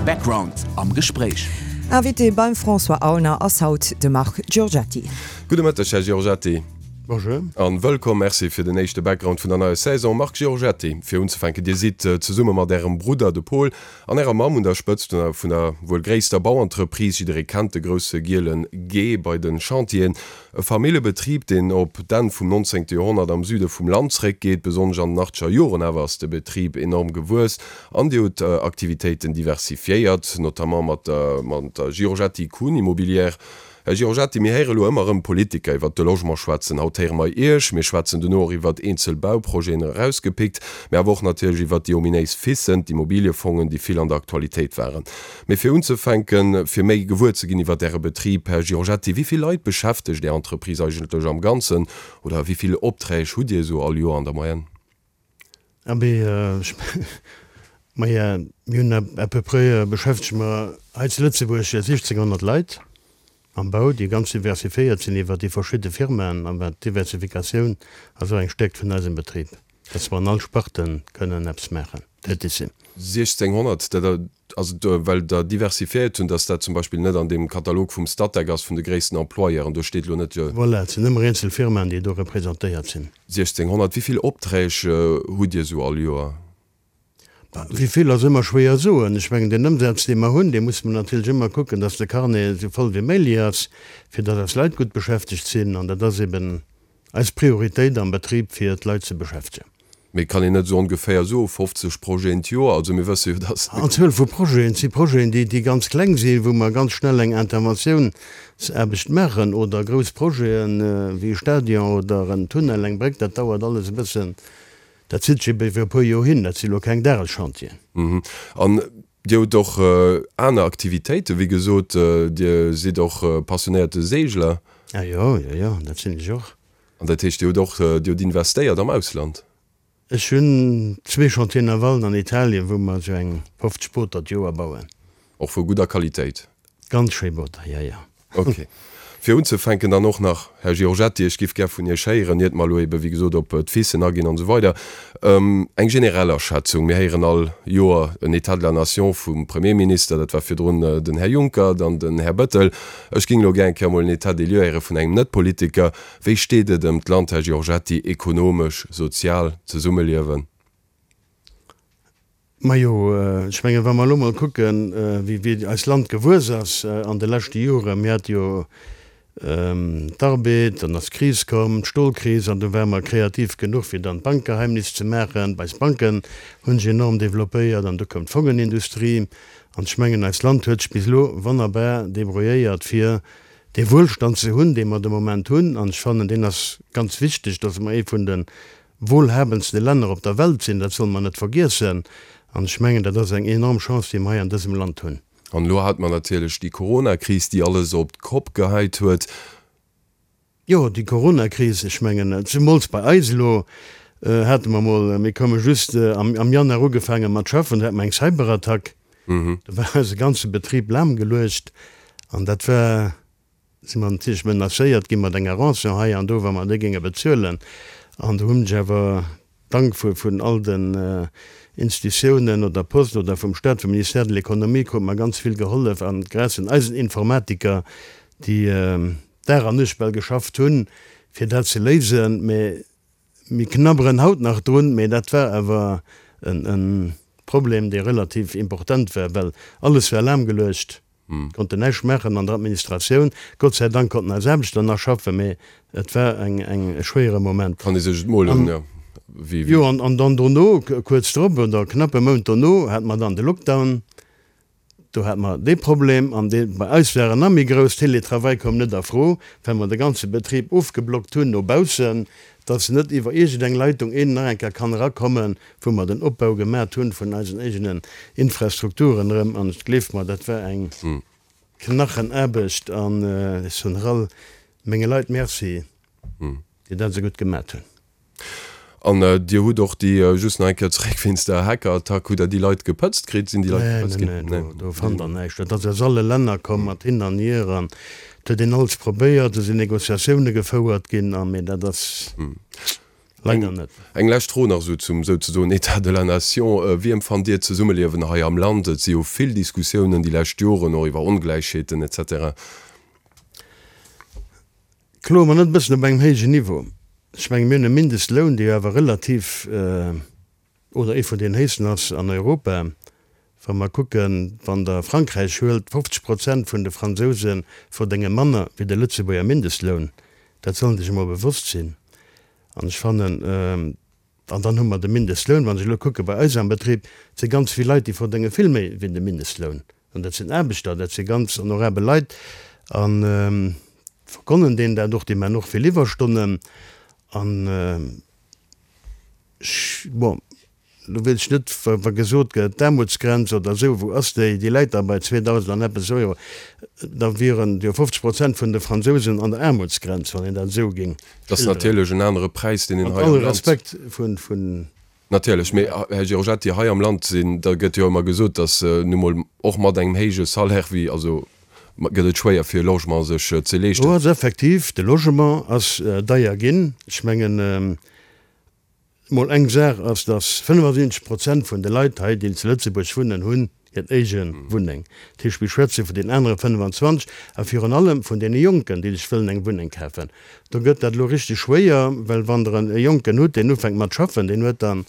Background am Gespréich. Invité beim François Aulner ass haut de Marc Giorgetti. Gudde Mëtteg, Här Giorgetti. Bonjour. An wëllkomm. Merci fir den éischte Background vun der neier Saison. Marc Giorgetti, fir unzefänken, Dir sidd zesumme mat Ärem Brudder, de Paul, an Ärer Mamm un der Spëtzt vun der wuel gréisster Bauentreprise. Jidderee kennt de grousse gielen G bei de Chantieren. E Familljebetrib, deen op d'Enn vum 19. Joerhonnert am Süde vum Land zréckgeet. Besonnesch an den achtzeger Joren awer ass de Betrib enorm gewuess an Dir hutt d'Aktivitéiten diversifiéiert, notamment mat der Giorgetti Kuhn Immobilière. Här Giorgetti, mir héiere lo ëmmer erëm Politiker iwwert de Logement schwätzen. Haut héiere mer Iech. Mir schwätzen dono och iwwert eenzel Bauprojeten erausgepickt, mä awer och natierlech iwwert déi ominéis FISen, d'Immobiliefongen, déi vill an der Aktualitéit waren. Mee fir unzefänken, fir méi gewuer ze ginn iwwert Äre Betrib, Här Giorgetti, wéi vill Leit beschäftegt Är Entreprise eigentlech am Ganzen oder wéi vill Opträg hutt Dir esou all Joer an der Moyenne? Abee, ech maja, mir hunn à peu près, beschäftege mer hei zu Lëtzebuerg 1.600 Leit am Bau, déi ganz diversifiéiert sinn iwwer déi verschidde Firmaen. An d'Diversifikatioun ass och eng Stäerkt vun eisem Betrib, dass mer an all Sparte kënnen eppes maachen, tätig sinn. 1.600, dat ass et, well Der diversifiéiert hunn, dass dat zum Beispill net an deem Katalog vum Statec ass vun de gréissten Employeuren, do steet elo net. Voilà, et sinn ëmmer eenzel Firmaen, déi do representéiert sinn. 1600, wéi vill Opträg hutt Dir esou all Joer? Bah, wéi vill ass ëmmer schwéier soen. Ech mengen, deen Ëmsaz, dee mer hunn, dee musse mer natierlech ëmmer kucken, dass de Carnet esou voll wéi méiglich ass, fir dass eis Leit gutt beschäftegt sinn. An dat ass eben eis Prioritéit am Betrib, fir d'Leit ze beschäftegen. Mee kann een net esou ongeféier soen, 50 Projeten d'Joer? Also mir wësse jo, dass. An Zuel vu Projeten, et si Projeten, déi, déi ganz kleng sinn, wou mer ganz schnell eng Interventiounsaarbecht maachen, oder grouss Projeten, wéi e Stadion oder en Tunnel, eng Bréck, dat dauert alles e bëssen, dat zitt sech ebe iwwer e puer Joer hin, dat si lo keng Dageschantieren. An Dir hutt och aner Aktivitéiten, wéi gesot, Dir sidd och passionéierte Seegler. Ah jo, jo, jo, dat sinn ech och. An dat heescht, Dir hutt och, Dir hutt investéiert am Ausland? Ech hunn zwee Chantiers navalen an Italien, wou mer esou eng 50 Booter d'Joer bauen. Och vu gudder Qualitéit? Ganz schéi Booter, jo, jo. Ok. Fir unzefänken dann och nach, Här Giorgetti, ech giff gär vun Iech héieren, iert mer elo ebe wéi gesot op d'FISen aginn an esou weider, eng generell Aschätzung. Mir héieren all Joer en État de la nation vum Premierminister, dat war virdrun den Här Juncker, dann den Här Bettel. Ech géing elo gär eng Kéier emol en État des lieux héiere vun engem Net-Politiker. Wéi steet et ëm d'Land, Här Giorgetti, ekonomesch, sozial, Zesummeliewen? Majo, ech mengen, wa mer elo mol kucken, wéi eist Land gewuess ass an de leschte Joren, mir hate jo d'Arbed, dann ass d'Kris komm, d'Stolkris, an du ware mer kreativ genuch, fir dann d'Bankgeheimnis ze maachen. Eis Banken hu sech enorm developpéiert an du koum d'Fongenindustrie. An ech mengen, eist Land huet sech bis elo wonnerbar débrouilléiert, fir dee Wuelstand ze hunn, dee mer de Moment hunn, an ech fannen, deen ass ganz wichteg, dass mer ee vun de wohlhabendste Länner op der Welt sinn, dat solle mer net vergiessen. An ech mengen, dat ass eng enorm Chance, déi mer hei an dësem Land hunn. An elo hate mer natierlech déi Coronakris, déi alles op d'Kopp geheit huet. Jo, déi Coronakris, ech mengen, zemools bei eis elo, hate mer mol, mir koume just am Januar ugefaange mat schaffen, do hate mer eng Cyberattack, do war eise ganze Betrib lahmgeluecht an dat war, si mer natierlech menacéiert gi mat enger Rançon hei an do, wa mer déi géinge bezuelen. An do hunn ech awer Dank vun all den Institutiounen oder Post oder vum Staat, vum Ministère de l'Économie krute mer ganz vill gehollef an grâce un eisen Informatiker, déi Dag an Nuecht bal geschafft hunn, fir dat ze léisen. Mä mir knabberen haut nach drun, mä dat war awer e Problem, dee relativ important war, well alles war lahmgeluecht. Konnten näischt maachen an der Administratioun. Gott sei Dank konnten eis Aarbechter nach schaffen, mee et war eng, eng, e schwéiere Moment. Kann ee sech et molen, jo. Wéi, wéi. Jo, an, an dann dono, kuerz drop oder knapp e Mount dono, hate mer dann de Lockdown. Do hate mer dee Problem an dee bei eis war en nach méi grouss. Télétravail koum net a Fro, well mer de ganze Betrib ofgeblockt hunn no baussen, dass net iwwer iergendeng Leitung een nach eng Kéier kann erakommen. wou mer den Opbau gemat hunn vun eisen eegenen Infrastrukturen erëm, an gleeft mer, dat war eng Knachenaarbecht, an ech soen nach all menge Leit Merci, déi dat esou gutt gemat hunn. An Dir hutt och déi, just nach eng Kéier zeréck wéinst der Hackerattack, hutt Der déi Leit gepëtzt kritt? Sinn déi Leit gepëtzt ginn? Nee, nee, nee, do fannt Der näischt. Dat ass aus alle Länner komm, mat hin an hier, an et huet een alles probéiert, do sinn Négociatioune gefouert ginn, a mee dat ass. Leider net. Eng lescht Fro nach esou zum souzesoen État de la nation. Wéi empfannt Dir d'Zesummeliewen hei am Land? Et si jo vill Diskussiounen déi lescht Joren, och iwwer Ongläichheeten etc. Kloe mer net e bëssen op engem héijen Niveau? Ech menge mir hunn e Mindestloun, dee jo awer relativ, oder ee vun deenen héchsten ass an Europa. Wa mer kucken, wann Der Frankräich huelt, 50 Prozent vun de Fransouse verdénge manner wéi de Lëtzebuerger Mindestloun. Dat soll sech emol bewosst sinn. An ech fannen, an dann hu mer de Mindestloun, wann ech elo kucke bei eis am Betrib, et si ganz vill Leit, déi verdénge vill méi wéi de Mindestloun. An dat sinn Aarbechter, dat si ganz honorabel Leit a vergonnen deenen dat och, déi maachen och vill Iwwerstonnen. An ech, bon, Lo weess ech net, wa gesot gëtt, d'Aarmutsgrenz oder esou, wou ass déi? Déi läit da bei 2.000 an eppes Euro. Da wieren jo 50 Prozent vun de Fransousen an der Aarmutsgrenz, wann een dat esou géing Dat ass schilderen. natierlech en anere Präis, deen een Mat hei am allem Land. Respekt vun. Natierlech, mee Här Giorgetti, hei am Land sinn, da gëtt jo ëmmer gesot, datt nu mol och mat engem héije Salaire wéi, also gëtt et schwéier fir e Logement sech ze leeschten. Do ass effektiv, de Logement ass deier ginn. Ech mengen, Mol eng Saach ass, dass 75 Prozent vun de Leit hei, déi zu Lëtzebuerg wunnen, hunn hir éige Wunneng. Dat heescht, mir schwätze vun den anere 25 a virun allem vun deene Jonken, déi sech wëllen eng Wunneng kafen. Do gëtt dat elo richteg schwéier, well wann Der e Jonken hutt, deen ufänkt mat schaffen, deen huet dann,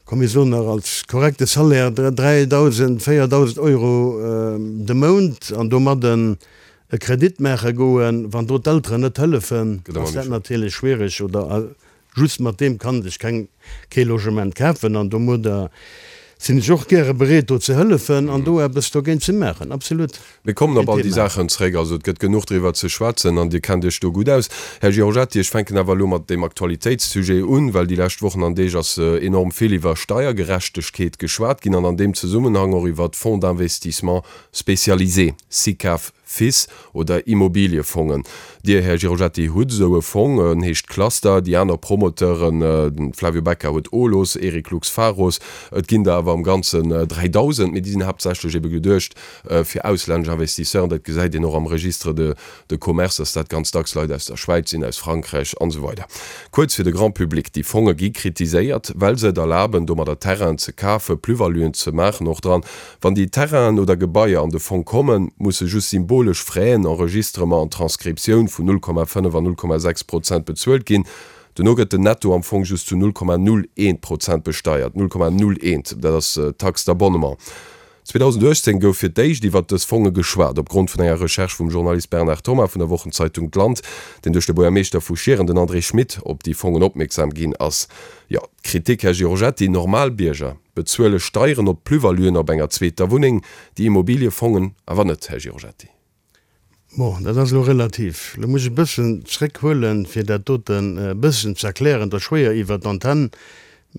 komm mir soen nach als korrekte Salaire 3.000, 4.000 Euro de Mount an domadden e Kredit maache goen, wann do d'Elteren net hëllefen, ass dat natierlech schwiereg oder Just mat deem kann sech keng kee Logement kafen an domadder sinn ech och gäre bereet do ze hëllefen an do eppes dogéint ze maachen. Absolut Mir kommen keen op all déi Thema. Saachen zréck. Also et gëtt genuch driwwer ze schwätzen an Dir kennt Iech do gutt aus. Här Giorgetti, ech fänken awer elo mat deem Aktualitéitssujet un, well déi lescht Wochen an Deeg ass enorm vill iwwer Steiergerechtegkeet geschwat ginn an an deem Zesummenhang och iwwer d'Fonds d'investissement spécialisés, SICAV, Fis oder Immobiliefongen. Dir, Här Giorgetti, hutt esou e Fong, en heescht Cluster. Déi aner Promoteuren, de Flavio Becca huet Olos, Eric Lux Pharos, et ginn der awer am Ganzen 3.000, mee déi sinn haaptsächlech ebe geduecht fir auslännesch Investisseuren. Dat gesäit een och am Registre de de commerce, dass dat ganz dacks Leit aus der Schwäiz sinn, aus Frankräich an esou weider. Kuerz fir de Grand public, déi Fonge gi kritiséiert, well se et erlaben, domadder Terrainen ze kafen, Plus-valuen ze maachen och dran. Wann déi Terrainen oder Gebaier an de Fong kommen, musse just symbolesch Fräen, Enregistrement an Transkriptioun, vun 0,5 an 0,6 Prozent bezuelt ginn. Dono gëtt den Netto am Fong just zu 0,01 Prozent besteiert, 0,01, dat ass d'Taxe d'abonnement. 2018 gouf fir d'éischt iwwert dës Fonge geschwat, opgrond vun enger Recherche vum Journalist Bernard Thomas vun der Wochenzeitung D'Land, deen duerch de Buergermeeschter vu Schieren, den André Schmit, op déi Fongen opmierksam ginn ass. Jo, d'Kritik, Här Giorgetti, normal Bierger bezuele Steieren op d'Plus-valuen op enger zweeter Wunneng, déi Immobiliefongen awer net, Här Giorgetti. Bon, dat ass elo relativ. Elo muss ech e bëssen zréckhuelen, fir dat doten e bëssen ze erklären. Et ass schwéier iwwert d'Antenn,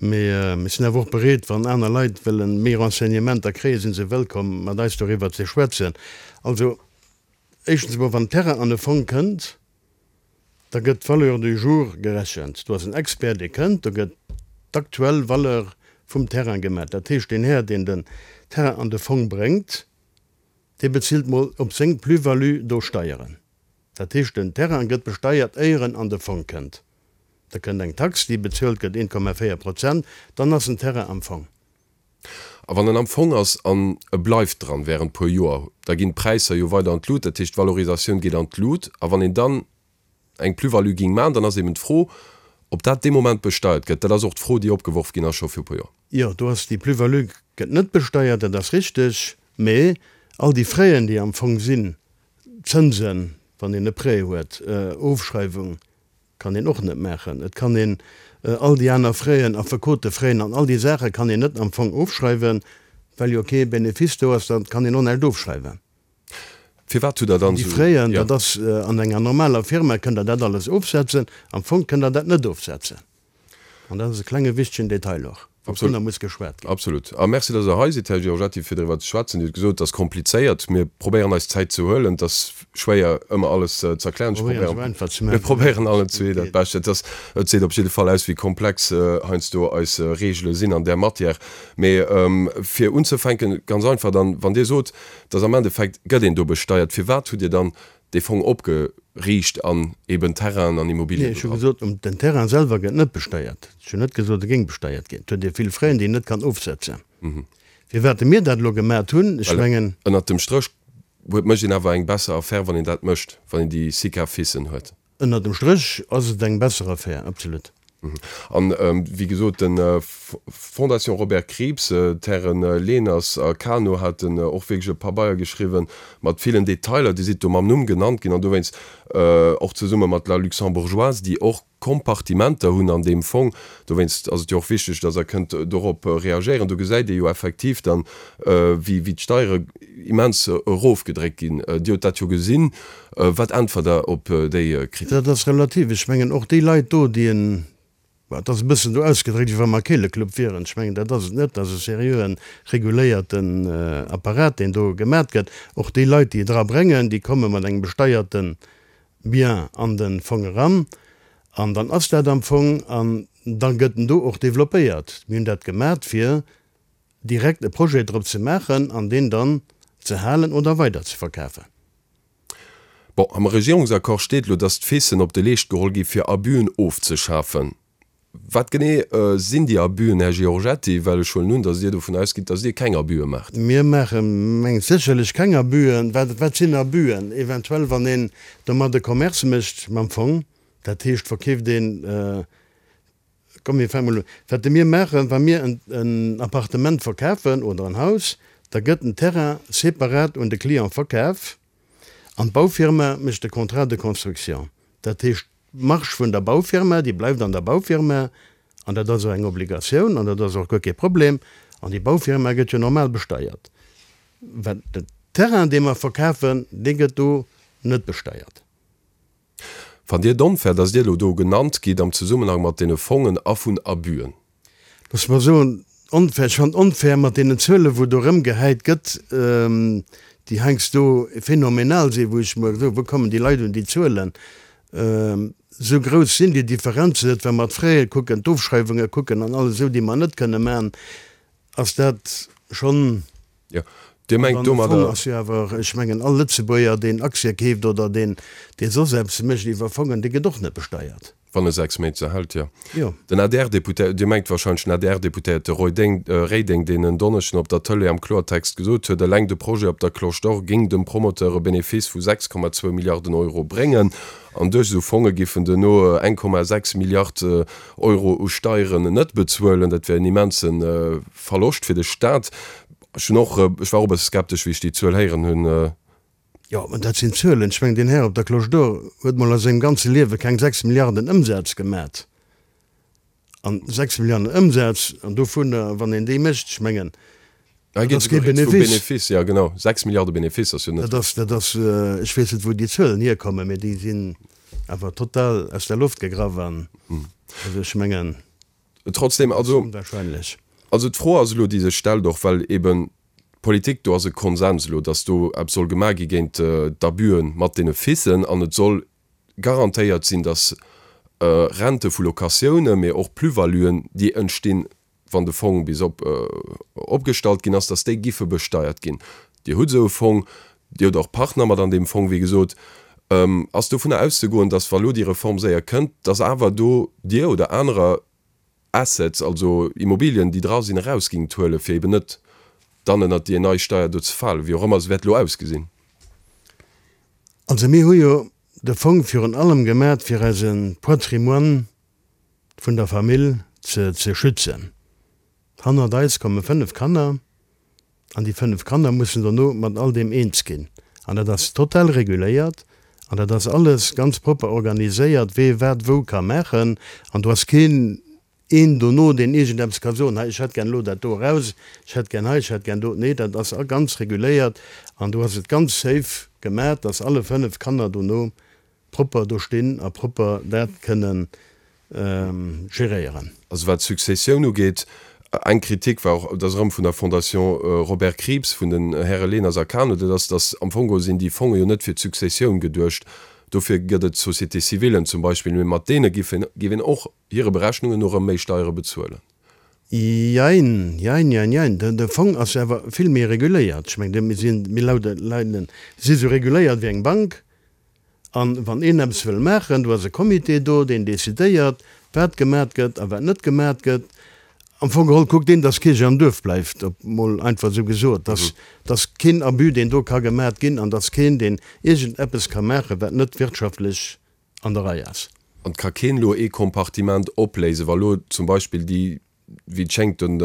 mee ech sinn awer och bereet, wann aner Leit wëlle méi Renseignementer kréien, si se wëllkomm, mat eis doriwwer ze schwätzen. Also, éischtens emol, wann Terrain an e Fong kënnt, da gëtt d'Valeur du jour gerechent. Do ass en Expert, dee kënnt, do gëtt d'aktuell Valeur vum Terrain gemat. Dat heescht, deen Här, deen den Terrain an de Fong bréngt, dee bezilt mol op seng Plus-value do Steieren. Dat heescht, den Terrain gëtt besteiert, éier en an de Fong kënnt. Da kënnt eng Tax, déi bezuelt gëtt, 1,4 Prozent, dann ass den Terrain am Fong. A wann en am Fong ass an e bleift dran während puer Joer, da ginn d'Präisser jo weider an d'Lut, dat heescht d'Valorisatioun geet an d'Lut. A wann een dann eng Plus-value géing maachen, dann ass eben d'Fro, ob dat dee Moment besteiert gëtt. Dat ass och d'Fro, déi opgeworf ginn ass scho viru puer Joer. Jo, do ass déi Plus-value gëtt net besteiert, dat ass richteg, mee all déi Fräen, déi am Fong sinn, Zënsen, wann een e Prêt huet, Ofschreiwung, Kann een och net maachen. Et kann een all déi aner Fräen, Affekotefräen an all déi Saache kann een net am Fong ofschreiwen, well jo kee Benefice do ass. Da kann een och näischt ofschreiwen. Firwat hutt Der dann Déi esou. Fräen, dat ass an enger normaler Firma kënnt Der dat alles ofsetzen, am Fong kënnt Der dat net ofsetzen. An dat ass e klenge wichtegen Detail och, wouvunner muss geschwat ginn. Absolut. A Merci, dass Der hei sidd, Här Giorgetti, fir driwwer ze schwätzen. Dir hutt gesot, et ass komplizéiert. Mir probéieren eis Zäit ze huelen. Et ass schwéier, ëmmer alles ze erklären. Ech Probéieren esou einfach ze maachen. Mir probéieren allen zwee dat Bescht. Et ass, et seet op jidde Fall aus, wéi komplex heiansdo eis Regele sinn an där Matière. Mee fir unzefänken, ganz einfach dann, wann Dir sot, dass am Endeffekt gëtt een do besteiert, firwat hutt Dir dann. Dee Fong opgeriicht an eben Terrainen an Immobilien Nee, ech hu gesot, den Terrain selwer gëtt net besteiert. Ech hunn net gesot, e géing besteiert ginn. Et huet ee vill Fräen, déi een net kann ofsetzen. Firwat mir dat elo gemat hunn, ech mengen. Ënnert dem Stréch huet, mécht een awer eng besser Affär, wann een dat mécht, wann een déi Sica-Ficen huet. Ënnert dem Stréch ass et eng besser Affär, absolut. An wéi gesot, de Fondation Robert Krieps, d'Häre Leners a Cano haten och wierklech e Pabeier geschriwwen mat villen Detailer. Dir sidd do mam Numm genannt ginn an dowéinst och zesumme mat La Luxembourgeoise, déi och Kompartimenter hunn an deem Fong. Dowéinst ass et jo och wichteg, dass Der kënnt dorop reagéieren. Do gesäit ee jo effektiv dann, wéi d'Steiere immens erofgedréckt ginn. Dir hutt dat jo gesinn. Wat äntwert Der op déi Kritik? Dat ass relativ. Ech mengen, och déi Leit do, déi en, bon, et ass e bëssen do ausgedréckt, wéi wa mer Keeleklupp wieren. Ech mengen, dat ass et net. Dat ass e seriöen, reguléierten Apparat, deen do gemat gëtt. Och déi Leit, déi et erabréngen, déi komme mat engem besteierte Bien an de Fong eran. An dann ass dat am Fong an da gëtt en do och développéiert. Mir hunn dat gemat, fir direkt e Projet drop ze maachen an deen dann ze halen oder weider ze verkafen. Bon, am Regierungsaccord steet elo, dass d'Ficen op de Leescht geholl gi fir Abusen ofzeschafen. Wat genee sinn déi Abusen, Här Giorgetti? Well ech huelen un, dass Dir dovun ausgitt, dass Dir keng Abuse maacht. Mir maache mengt sécherlech keng Abusen. Wat, wat sinn Abusen? Eventuell wann een domat e Commerce mécht mam Fong, dat heescht verkeeft een, Komm mir fänke mol un. Wat mir maachen, wa mir en Appartement verkafen oder en Haus, da gëtt den Terrain separat un de Client verkaf an d'Baufirma mécht de Contrat de construction. Dat heescht, d'Marge vun der Baufirma, déi bleift an der Baufirma an dat ass och eng Obligatioun an dat ass och guer kee Problem an déi Baufirma gëtt jo normal besteiert. Wat den Terrain, dee mer verkafen, dee gëtt do net besteiert. Fannt Dir et onfair, datt Dir elo do genannt gitt am Zesummenhang mat deene Fongen a vun Abüen? Loosse mer soen, onfair. Ech fannen et onfair mat deenen Zuelen, wou do erëmgehäit gëtt, déi heiansdo phänomenal sinn, wou ech mer soen, wou kommen déi Leit un déi Zuelen? Esou grouss sinn déi Differenzen net. Wa mer d'Fraie kucken, d'Ofschreiwunge kucken an alles esou, déi mer net kënne maachen, ass dat schonn. Jo, Dir mengt domadder. Fong ass jo awer, ech mengen, all Lëtzebuerger, deen Aktie keeft oder deen, dee soss eppes mécht iwwer Fongen, dee gëtt och net besteiert. Wann e 6 Méint se hält, jo. Jo. Den ADR-Deputéier, Dir mengt wahrscheinlech den ADR-Deputéierte Roy Deng, Reding, deen en Donneschden op der Tëlee am Kloertext gesot huet, eleng de Projet op der Cloche d'Or géing dem Promoteur e Benefice vu 6,2 Milliarden Euro bréngen an duerch esou Fonge giffen duerno 1,6 Milliard Euro u Steieren net bezuelen. Dat wär en immense Verloscht fir de Staat. Ech hunn och, ech war och e bësse skeptesch, wéi ech déi Zuel héieren hunn. Jo, mä dat sinn Zuelen. Ech mengen, deen Här op der Cloche d'Or huet mol a sengem ganze Liewe keng 6 Milliarden Ëmsaz gemat. An 6 Milliarden Ëmsaz, an dovunner, wann een déi mécht, ech mengen, dat ass kee Benefice. Benefice, ja genau, 6 Milliarde Benefice ass jo net. Dat ass, dat ass, ech weess net, wou déi Zuelen hierkommen, mä déi sinn awer total aus der Loft gegraff an, also ech mengen. Trotzdem, also, also d'Fro ass elo, déi sech stellt, och well eben d'Politik, do ass e Konsens elo, datt do eppes soll gemaach gi géint d'Abüe mat deene Ficen an et soll garantéiert sinn, datt Rente vu Locatiounen, mee och Plus-valuen, déi entstinn, wann de Fong bis op opgestallt ginn ass, datt déi giffe besteiert ginn. Dir hutt esou e Fong, Dir hutt och Partner mat an deem Fong, wéi gesot. Ass dovunner auszegoen, datt, wa lo déi Reform séier kënnt, datt awer do Dir oder anerer Assets, also Immobilien, déi dra sinn, eraus gingt huelen, fir eben net dann ënnert déi nei Steier do ze falen, wéi och ëmmer se wäert elo ausgesinn? Also mir hu jo de Fong virun allem gemat, fir eise Patrimoine vun der Famill ze schützen. Hannert eis komme 5 Kanner. An déi 5 Kanner mussen dono mat all deem eens ginn. An dat ass total reguléiert an dat ass alles ganz propper organiséiert, wee wat wou ka maachen. An do ass keen een dono, deen iergendeppes ka soen, hei ech hätt gär elo dat do eraus, ech hätt gär hei, ech hätt gär do. Nee, dat ass ganz reguléiert an do ass et ganz safe gemat, dass alle 5 Kanner dono propper do stinn a propper dat kënnen geréieren. Also wat d'Successioun ugeet, eng Kritik war och, dat ass erëm vun der Fondation Robert Krieps, vun den Häre Leners a Cano, dat ass, datt am Fong geholl sinn déi Fonge jo net fir d'Successioun geduecht, dofir gëtt et Société-civilen zum Beispill, mee mat deene giff een, géif een och hire Berechnungen no erëm méi Steiere bezuelen. Jein, jein, jein, jein. De Fong ass awer vill méi reguléiert. Ech mengen, mir sinn, mir lauden, leiden, si sou reguléiert wéi eng Bank. An wann een eppes wëll maachen, do ass e Comité do, deen decidéiert, wat gemat gëtt a wat net gemat gëtt. Am Fong geholl kuckt deen, dass Kierch am Duerf bleift, op mol einfach esou gesot, dass, dass keen Abus, deen do ka gemat ginn, an dass keen, deen iergend eppes ka maachen, wat net wirtschaftlech an der Rei ass. An et ka keen elo ee Kompartiment opléisen, wa lo zum Beispill déi, wéi et schéngt, den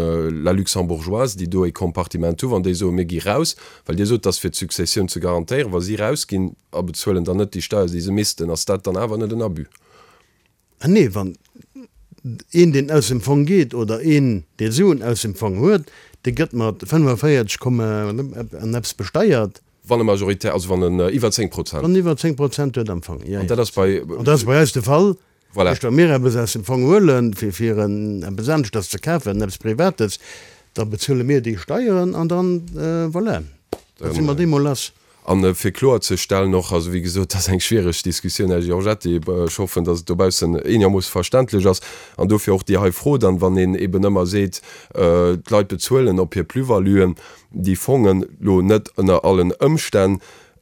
La Luxembourgeoise, déi do ee Kompartiment hu, wann déi soen, mir gi raus, well Dir sot, dass fir d'Successioun ze garantéieren, wa si rausginn a bezuelen dann net déi Steier, déi se missten, ass dat dann awer net en Abus? Ah nee, wann een, deen aus dem Fong geet, oder een, dee Suen aus dem Fong huet, dee gëtt mat 45 Komma an eppes besteiert. Wann e Majoritaire, also wann en iwwer 10 Prozent. Wann en iwwer 10 Prozent huet am Fong, jo, jo. An dat ass bei. An dat ass bei eis de Fall. Voilà. Wa mir eppes aus dem Fong huelen, fir, fir en, eppes aneschters ze kafen, eppes Privates, da bezuele mir déi Steieren an dann, voilà, da si mer deemol lass. A fir kloerzestellen och, also wéi gesot, dat ass eng schwiereg Diskussioun, Här Giorgetti, ech hoffen, datt et dobaussen eenermoosse verständlech ass, an dofir och déi hei Fro dann, wann een eben ëmmer seet, d'Leit bezuelen op hir Plus-valuen déi Fongen elo net ënner allen Ëmstänn,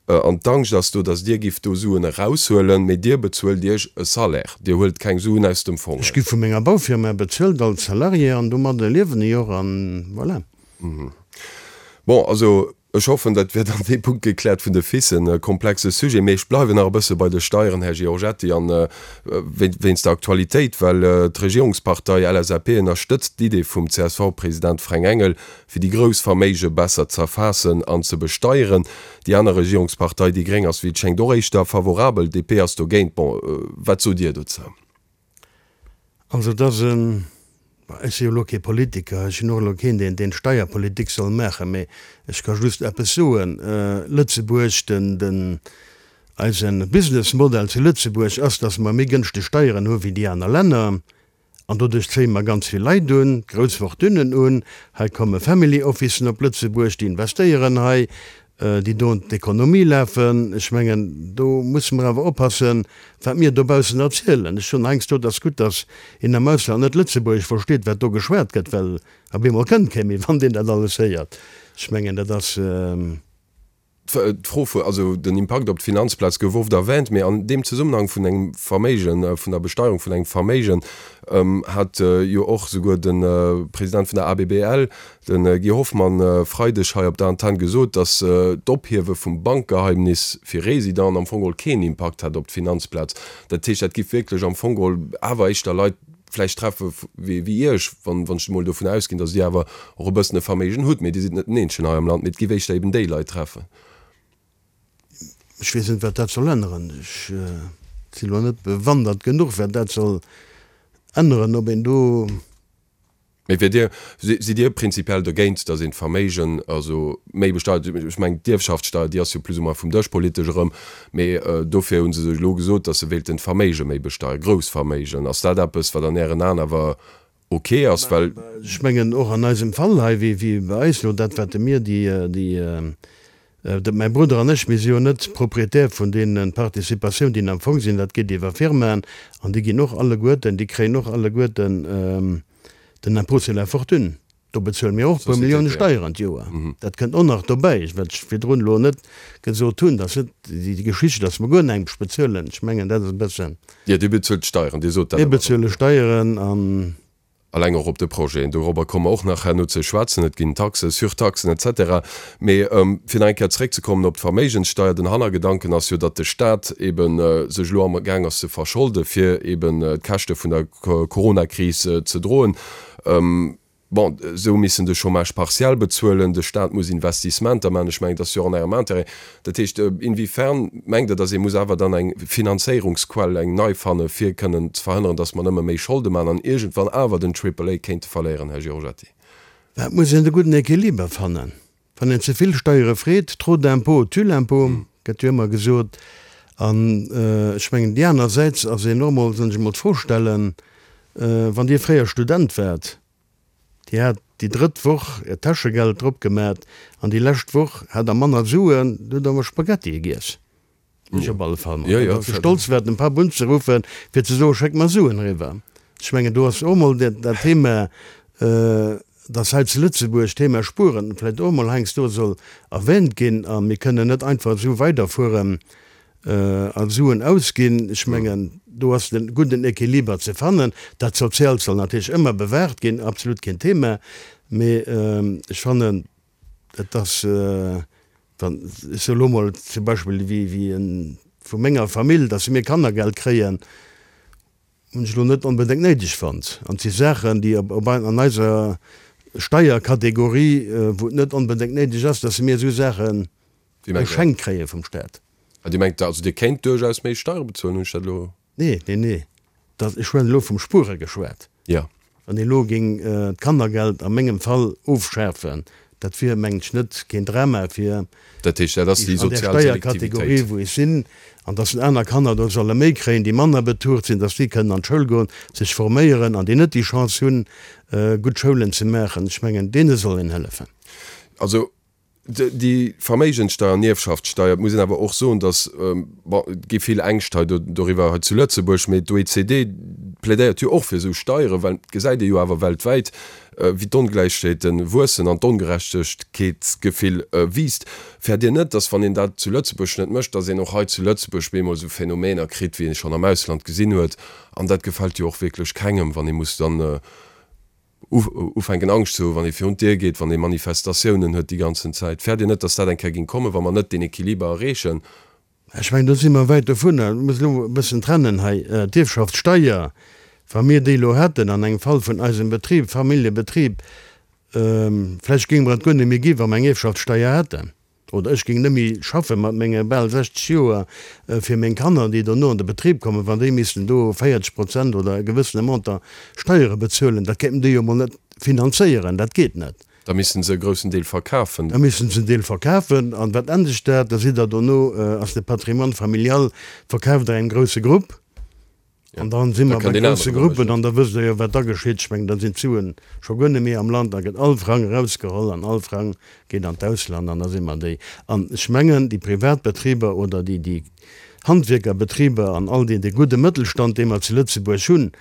an d'Angscht ass do, datt Dir gifft do Suen eraushuelen, mee Dir bezuelt Iech e Salaire, Dir huelt keng Suen aus dem Fong. Ech gi vu menger Baufirma bezuelt als Salarié an domadde liewen ech och an voilà. Bon, also Ech hoffen, dat wier dann dee Punkt gekläert vun de FICen. E komplexe Sujet, mee ech bleiwen nach e bësse bei de Steieren, Här Giorgetti, an wéinst der Aktualitéit, well d'Regierungspartei LSAP ënnerstëtzt d'Idee vum CSV-President Fränk Engel, fir déi grouss Verméige besser z'erfaassen an ze besteieren. Déi aner Regierungspartei, déi gréng, ass wéi et schéngt och éischter favorabel, DP ass dogéint. Bon, wat sot Dir dozou? Also et ass en, bon ech si jo elo kee Politiker, ech sinn och elo keen deen deen Steierpolitik soll maachen, mee ech ka just eppes soen, Lëtzebuerg, den den eise Businessmodell zu Lëtzebuerg ass, datt mer méi gënschteg Steieren hu wéi déi aner Länner an doduerch zéie mer ganz vill Leit un, grouss Fortunen un. Hei komme Family Officen op Lëtzebuerg, déi investéieren hei, déi do an d'Ekonomie lafen. Ech mengen, do musse mer awer oppassen, wat mir dobaussen erzielen. Ech soen heiansdo, et ass gutt, datt een am Ausland net Lëtzebuergesch versteet, wat do geschwat gëtt, well op eemol kënnt kee méi, wann deen dat alles héiert. Ech mengen, dat ass. D'Fro vu, also den Impakt op d'Finanzplaz gouf oft erwähnt, mee an deem Zesummenhang vun engem Verméigen, vun der Besteierung vun engem Verméigen, hat jo och souguer de President vun der ABBL, De Guy Hoffmann e Freideg hei op der Antenn gesot, datt d'Ophiewe vum Bankgeheimnis fir Residenten am Fong geholl keen Impakt hätt op d'Finanzplaz. Dat heescht, dat giff wierklech am Fong geholl awer éischter Leit vläicht treffe wéi Iech, wann ech emol dovun ausginn, datt Dir awer och e bëssen e Verméigen hutt. Mee Dir sidd net den eenzegen hei am Land, mee et giff éischter eben déi Leit treffen. Ech weess net, wat dat soll änneren. Ech si lo net bewandert genuch, wat dat soll änneren, ob een do. Mee wier Dir, sidd Dir prinzipiell dogéint, datt een d'Verméigen also méi besteiert? Ech mengen d'Ierfschaftssteier, déi ass jo plus ou moins vum Dësch politesch erëm, mee dofir hu se sech elo gesot, datt se wéilten d'Verméige méi besteieren, grouss Verméigen. Ass dat eppes, wat an Ären Aen awer ok ass? Well. Ech mengen och an eisem Fall hei, wéi bei eis elo, dat wat mir déi, déi, mäi Brudder an ech, mir si jo net Propriétaire vun deene Participatioun, déi am Fong sinn, dat geet iwwer Firmaen an déi ginn och alleguerten, déi kréien och alleguerten den Impôt sur la fortune. Do bezuele mir och e puer Millioune Steieren d'Joer. Dat kënnt och nach dobäi, wat ech virdrun elo net gesot hunn, dass net déi Geschicht, dass mer guer näischt bezuelen, ech mengen dat ass e bëssen. Jo, Dir bezuelt Steieren, Dir sot dat awer. Mir bezuele Steieren an. Alleng och op de Projeten, dorobber komme mer och nach herno ze schwätzen, et ginn Taxen, Surtaxen et cetera. Mee fir nach eng Kéier zeréckzekommen op d'Verméigenssteier, den Hannergedanken ass jo, datt de Stat eebe sech elo amgaang ass ze verscholde fir eeben d'Käschte vun der Coronakris ze droen. Bon, se hu missen de Chômage partiel bezuelen, de Staat muss Investissementer maachen. Ech mengen, dat ass jo och an Ärem Intérêt. Dat heescht, inwiefern mengt Der, datt ee muss awer dann eng Finanzéierungsquell, eng nei fanne fir kënnen ze verhënneren, datt mer nëmme méi Scholde maachen an iergendwann awer den Triple A kéinte verléieren, Här Giorgetti? Et muss een de gudden Equiliber fannen. Wann een ze vill Steiere freet, trop d'impôts tue l'impôt, gëtt jo ëmmer gesot. An ech mengen, déi anersäits ass een och emol, soll ech emol d'Fro stellen, wann Dir fréier Student waart, Dir hat déi drëtt Woch Äert Täschegeld drop gemat an déi lescht Woch hat Der manner Suen, du hutt awer Spaghettie giess. Ech op alle Fall mat. Datt se stolz war dem Papp unzeruffen, fir ze soen, schéck mer Suen eriwwer. Ech mengen, do ass och emol dat Thema, datt hei zu Lëtzebuerg d'Thema Spueren vläicht och emol heiansdo soll erwähnt ginn. A mir kënnen net einfach esou weiderfueren. A Suen ausginn. Ech mengen, do ass de gudden Equiliber ze fannen. Dat Sozialt soll natierlech ëmmer bewaart ginn, absolut keen Thema. Mee ech fannen, et ass, wann, ech soe lo mol zum Beispill wéi wéi e vu menger Famill, datt mir Kannergeld kréien, hunn ech elo net onbedéngt néideg fonnt. An et si Saachen, déi op an eiser Steierkategorie, wou et net onbedéngt néideg ass, datt mir esou Saache Geschenkt kréie vum Staat. Ah, Dir mengt also, Dir kéint duerchaus méi Steiere bezuelen, hunn ech dat elo? Nee, nee, nee. Dat, ech hunn elo vum Spuere geschwat. Jo. Wann ee elo géing d'Kannergeld a mengem Fall ofschafen, dat wier, mengen ech, net keen Drama fir Dat heescht, dat ass déi an där sozial Steierkategorie, Selektivitéit. wou ech sinn, an dass aner Kanner do solle méi kréien, déi manner betucht sinn, dass déi kënnen an d'Schoul goen, sech forméieren an déi net déi Chance hunn, gutt Schoulen ze maachen. Ech mengen, deene soll een hëllefen. Also, Déi Verméigenssteuer an Ierfschaftssteuer, et muss een awer och soen, datt, bon, et gi vill Ängscht hei doriwwer hei zu Lëtzebuerg, mee d'OECD plädéiert jo och fir esou Steieren, well et gesäit ee jo awer weltwäit, wéi d'Ongläichheete wuessen an d'Ongerechtegkeetsgefill wiisst. Fäert Dir net, datt, wann een dat zu Lëtzebuerg net mécht, datt een och hei zu Lëtzebuerg bemol esou Phänomener kritt, wéi ee schonn am Ausland gesinn huet? An dat gefält jo och wierklech kengem, wann ee muss dann ufänken Angscht ze hu wann ee virun d'Dier geet, wann ee Manifestatiounen huet déi ganzen Zäit. Fäert Dir net, datt dat eng Kéier géing kommen, wa mer net deen Equiliber erreechen? Ech mengen, do si mer wäit dovunner. Ech muss elo e bëssen trennen hei. D'Ierfschaftssteier, wa mir déi elo hätten an engem Fall vun eisem Betrib, Familljebetrib, vläicht géinge mer et guer net méi gi wa mer eng Ierfschaftssteier hätten. Oder ech géing net méi schaffe mat menge bal 60 Joer fir meng Kanner, déi dono an de Betrib kommen, wann déi missten do 40 Prozent oder e gewëssene Montant Steiere bezuelen. Dat kéinten déi jo mol net finanzéieren, dat geet net. Da missten se e groussen Deel verkafen. Da missten se en Deel verkafen. An wat endegt dat? Da sidd Der dono, ass de Patrimoine familial verkaaft Der engem grousse Grupp. An dann si mer bei grousse Gruppen an da wësst Der jo, wat da geschitt. Ech mengen, da sinn d'Suen scho guer net méi am Land, da gëtt all Frang erausgeholl an all Frang geet an d'Ausland an da si mer déi. An ech mengen, déi Privatbetriber oder déi, déi Handwierkerbetriber an all déi, dee gudde Mëttelstand, dee mer zu Lëtzebuerg hunn,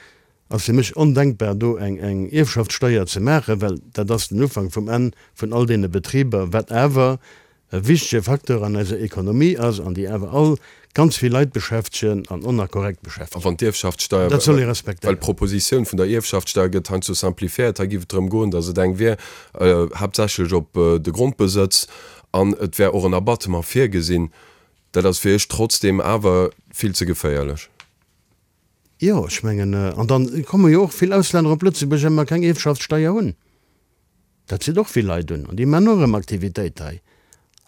ass fir mech ondenkbar, do eng, eng Ierfschaftssteuer ze maachen, well dat ass den Ufank vum Enn vun all deene Betriber, wat awer e wichtege Facteur an eiser Ekonomie ass an déi awer all ganz vill Leit beschäftegen an on a korrekt A beschäftegen. wann d'Ierfschaftssteuer, Dat soll ee well respektéieren. d'Propositioun vun der Ierfschaftssteuer gëtt heiansdo simplifiéiert, hei géif et drëm goen, datt et eng wier haaptsächlech op de Grondbesëtz an et wär och en Abattement virgesinn, dat ass fir Iech trotzdeem awer vill ze geféierlech. Jo, ech mengen, an dann komme jo och vill Auslänner op Lëtzebuerg, well mer keng Ierfschaftssteuer hunn. Dat zitt och vill Leit un an déi maachen och erëm Aktivitéit hei.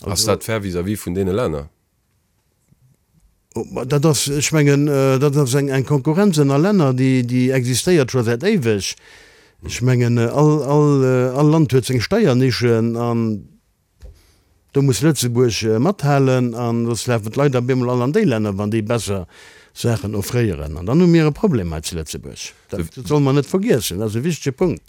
Ass dat fair vis-à-vis vun deene Länner? Dat ass, ech mengen, dat ass eng Konkurrenz ënner Länner, déi existéiert scho säit éiweg. Ech mengen, all Land huet seng Steiernischen an do muss Lëtzebuerg mathalen an soss lafen d'Leit op eemol all an déi Länner, wann déi besser Saachen offréieren. An dann hu mir e Problem hei zu Lëtzebuerg. Dat solle mer net vergiessen, dat ass e wichtege Punkt.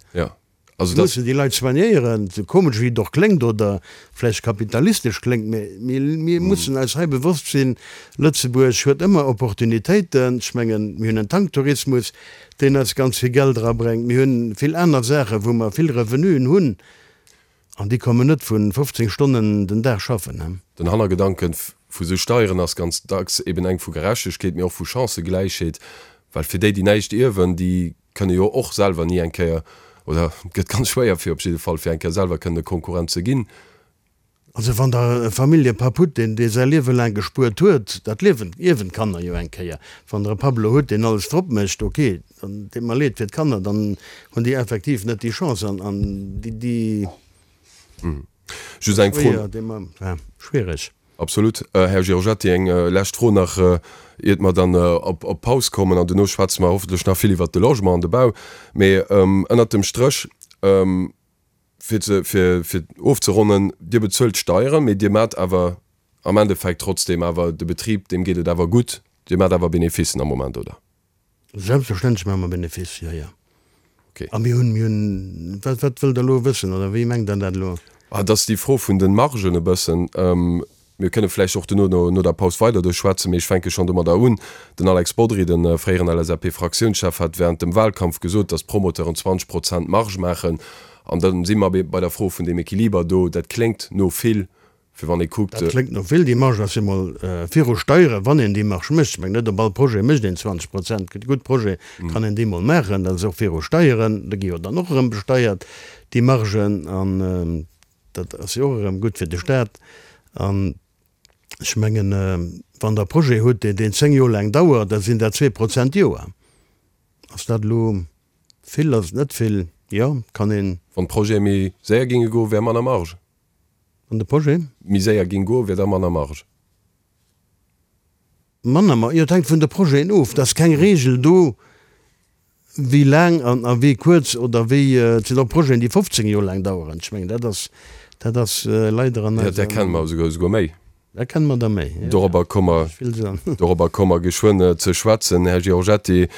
Also dat. Mussen déi Leit soignéieren, sou komesch wéi et och kléngt oder vläicht kapitalistesch kléngt, mä mir mussen eis hei bewosst sinn, Lëtzebuerg huet ëmmer Opportunitéiten. Ech mengen, mir hunn en Tanktourismus, deen eis ganz vill Geld erabréngt. Mir hunn vill aner Saachen, wou mer vill Revenuen hunn, an déi kommen net vu 15 Stonnen den Dag schaffen. Den Hannergedanken vu sou Steieren ass ganz dacks eben eng vu Gerechtegkeet, mee och vu Chancëgläichheet, well fir déi, déi näischt ierwen, déi kënne jo och selwer ni eng Kéier, oder et gëtt ganz schwéier fir op jidde Fall, fir eng Kéier selwer kënnen e Konkurrent ze ginn. Also wann Der e Familljepapp hutt, deen dee säi Liewe laang gespuert huet, dat Liewen ierwen d'Kanner jo eng Kéier. Wann Der e Papp elo hutt, deen alles drop mécht, ok, dann deet mer leed fir d'Kanner, dann hunn déi effektiv net déi Chance an an déi déi Just eng Fro. Schwiereg. Absolut. Här Giorgetti, eng lescht Fro nach, iert mer dann op Paus kommen. An duerno schwätze mer hoffentlech nach vill iwwert de Logement an de Bau. Mee ënnert dem Stréch, fir ze, fir, fir ofzeronnen, Dir bezuelt Steieren, mee Dir maacht awer am Endeffekt trotzdem awer de Betrib, deem geet et awer gutt. Dir maacht awer Beneficen am Moment, oder? Selbstverständlech maache mer Benefice, jo, jo. Okay. A mir hunn, mir hunn, wat, wat wëllt Der elo wëssen oder wéi mengt Der dat elo? Ah, et ass déi Fro vun de Margen e bëssen. Mir kënne vläicht och duerno no, no der Paus weider do schwätzen, mee ech fänke schonn domadder un. Den Alex Bodry, de fréieren LSAP-Fraktiounschef, hat während dem Wahlkampf gesot, datt d'Promoteuren 20 Prozent Marge maachen. An da si mer bei der Fro vun deem Equiliber do. Dat kléngt no vill. Fir wann ee kuckt. Dat kléngt no vill. Déi Marge ass jo mol viru Steieren, wann een déi Marge mécht. Ech mengen, net op all Projet mécht een 20 Prozent. Gëtt gutt Projet, kann een déi mol maachen. Dat ass och viru Steieren. Da gi jo dann och erëm besteiert, déi Margen. An dat ass jo och erëm gutt fir de Staat. An ech mengen, wann Der e Projet hutt, deen 10 Joer laang dauert, da sinn dat 2 Prozent d'Joer. Ass dat elo vill, ass et net vill? Jo, kann een. Wann d'Projete méi séier géinge goen, wär manner Marge. Wann de Projet. Méi séier ging goen, wier da manner Marge? Manner Marge? Jo, et hänkt vun de Projeten of. Et ass keng Regel do, wéi laang an a wéi kuerz oder wéi. Et sinn och Projeten, déi 15 Joer laang daueren. Ech mengen, dat ass, dat ass leider an eiser. Jo, där kenne mer esouguer méi. Da kenne mer der méi. Dorobber komme mer, dorobber komme mer geschwënn ze schwätzen. Här Giorgetti,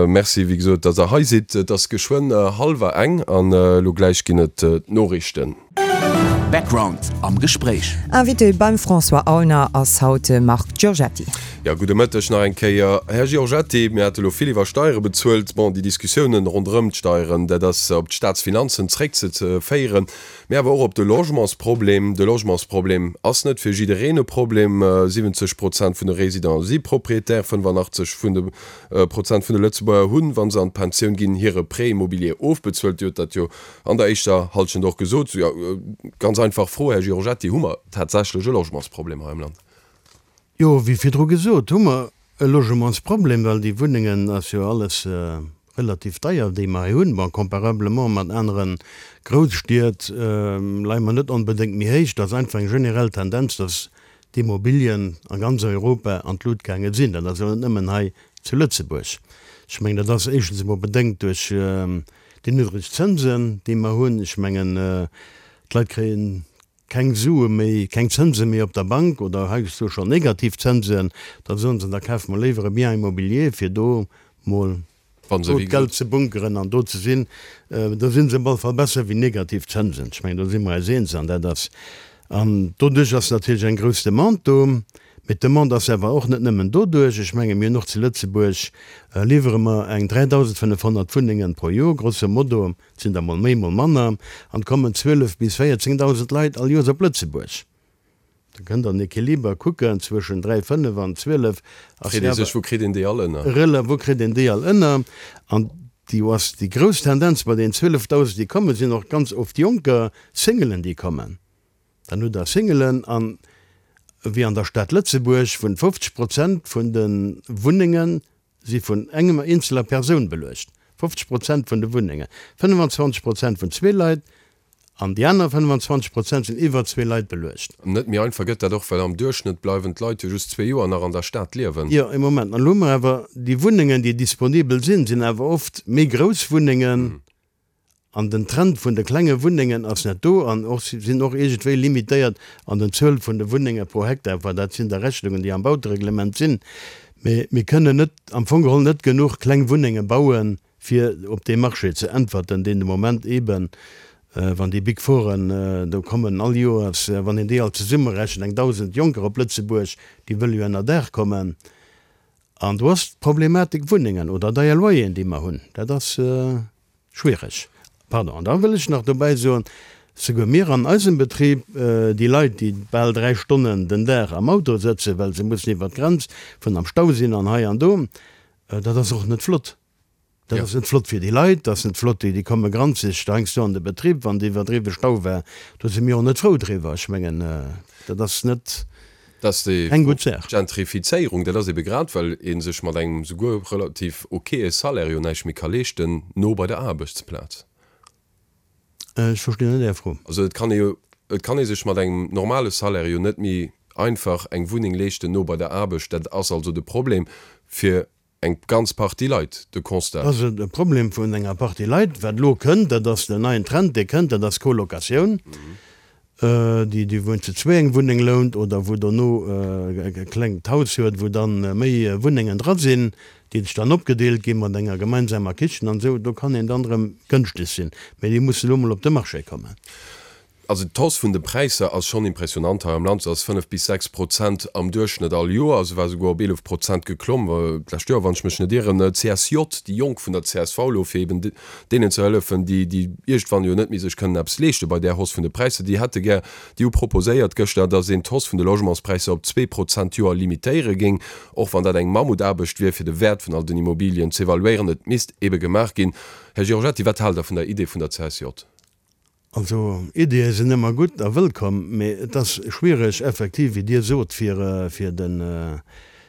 Merci, wéi gesot, datt Der hei sidd. Et ass geschwënn hallwer eng an elo gläich ginn et d'Noriichten. Background am Gespréich. Invité beim François Aulner ass haut de Marc Giorgetti. Jo, gudde Mëtteg nach eng Kéier, Här Giorgetti. Mir hate lo vill iwwer Steiere bezuelt. Bon, déi Diskussiounen ronderëm d'Steieren, dat ass op d'Staatsfinanzen zréckzeféieren. Mee awer och op de Logementsproblem. De Logementsproblem ass net fir jiddereen e Problem. 70 Prozent vun de Résidenten si Propriétaire, 85 vun de Prozent vun de Lëtzebuerger hunn, wa se an d'Pensioun ginn, hire Prêt immobilier ofbezuelt. Dir hutt dat jo an der éischter Hallschent och gesot. Jo, ganz einfach Fro, Här Giorgetti, Hu mer tatsächlech e Logementsproblem hei am Land? Jo, wéi virdru gesot, hu mer e Logementsproblem, well déi Wunnengen ass jo alles relativ deier, déi mer hei hunn. Bon, comparablement mat anere Grousstied leie mer net onbedéngt méi héich. Dat ass einfach eng generell Tendenz, dass d'Immobilien a ganz Europa an d'Lut gaange sinn. Dat ass jo net nëmmen hei zu Lëtzebuerg. Ech mengen, dat ass éischtens emol bedéngt duerch déi niddreg Zënsen, déi mer hunn. Ech mengen, d'Leit kréien keng Sue méi, keng Zënse méi op der Bank oder heiansdo schonn negativ Zënsen, da soen se, da kafe mer léiwer e Bien immobilier, fir do mol do d'Geld ze bunkeren an do ze sinn. Do si se op alle Fall besser wéi negativ Zënsen. Ech mengen, do si mer eis eens an dat ass, an doduerch ass natierlech eng grouss Demande do. Mee d'Demande ass awer och net nëmmen doduerch. Ech menge mir hunn och zu Lëtzebuerg liwwere mer eng 3.500 Wunnengen pro Joer, grosso modo. Et sinn der mol méi, mol manner, an et kommen 12 bis 14.000 Leit all Joers op Lëtzebuerg. Da kënnt Der den Equiliber kucken zwëschen 3, 5 an 12 ass Freet ee sech, wou kritt een déi all ënner? Rela, wou kritt een déi all ënner? An déi ass déi grouss Tendenz bei deenen 12.000, déi kommen, sinn och ganz oft Jonker, Singelen, déi kommen. Dann hutt Der Singelen an, wéi an der Stad Lëtzebuerg, vun 50 Prozent vun de Wunnengen si vun engemer eenzeler Persoun beluecht, 50 Prozent vun de Wunnengen, 25 Prozent vun zwee Leit an déi aner 25 Prozent sinn iwwer zwee Leit beluecht. Net méi einfach gëtt dat och, well am Duerchschnëtt bleiwen d'Leit jo just zwee Joer nach an der Stad liewen. Jo, ee Moment, an elo hu mer awer déi Wunnengen, déi disponibel sinn, sinn awer oft méi grouss Wunnengen. An den Trend vun de klenge Wunnengen ass net do an och sinn och iergendwéi limitéiert an den Zuel vun de Wunnenge pro Hektar. Enfin, dat sinn da Rechnungen, déi am Bautereglement sinn. Mee mir kënnen net, am Fong geholl net genuch kleng Wunnenge bauen, fir op dee Marché ze äntwerten, deen de Moment eeben, wann déi Big Fouren do kommen all Joers, wann een déi all zesummerechent, eng 1.000 Jonker op Lëtzebuerg, déi wëlle jo ënnerdaach kommen. An do ass d'Problematik Wunnengen oder deier Loyeren, déi mer hunn, dat ass schwiereg. Pardon, an da wëll ech nach dobäi soen, souguer mir an eisem Betrib, déi Leit, déi bal 3 Stonnen den Dag am Auto sëtzen, well se mussen iwwer d'Grenz vun am Stau sinn an hei an do, dat ass och net flott. Dat ass net flott fir déi Leit, dat ass net flott, déi komme granzeg heiansdo an de Betrib, wann et iwwerdriwwe Stau war. Do si mir och net frou driwwer. Ech mengen, dat ass net keng gutt Saach. D'Gentrifizéierung, dat ass ebe grad, well ee sech mat engem souguer relativ okaye Salaire jo näischt méi ka leeschten, no bei der Aarbechtsplaz. Ech verstinn net Är Fro. Also et kann ee jo, et kann ee sech mat engem normale Salaire jo net méi einfach eng Wunneng leeschten no bei der Aarbecht. Dat ass also de Problem fir Eng ganz Partie Leit, de Constat. Dat ass e Problem vun enger Partie Leit. Wat elo kënnt, dat ass den neien Trend, dee kënnt, dat ass Colocatioun, déi, déi wou een zu zwee eng Wunneng lount oder wou dono e klengt Haus huet, wou dann méi Wunnengen dra sinn, déi sech dann opgedeelt gi mat enger gemeinsamer Kichen an esou. Do kann een dann erëm gënschteg sinn. Mee déi mussen elo mol op de Marché kommen. Also d'Hausse vun de Präisser ass schonn impressionant hei am Land. Se ass 5 bis 6 Prozent am Duerchschnëtt all Joer. Se war souguer op 11 Prozent geklomm d'lescht Joer, wann ech mech net ieren. D'CSJ, déi Jonk vun der csv elo, fir eben deenen ze hëllefen, déi déi iergendwann jo net méi sech kënnen eppes leeschte bei där Hausse vun de Präisser, déi hätte gär, déi hu proposéiert gëschter, datt een d'Hausse vun de Logementspräisser op 2 Prozent d'Joer limitéiere géing, och wann dat eng Mammutaarbecht wier, fir de Wäert vun all den Immobilien z'evaluéieren. Et misst ebe gemaach ginn. Här Giorgetti, wat haalt Der vun der Idee vun der CSJ? Also Ideeë sinn ëmmer gutt a wëllkomm, mee et ass schwiereg effektiv, wéi Dir sot, fir fir den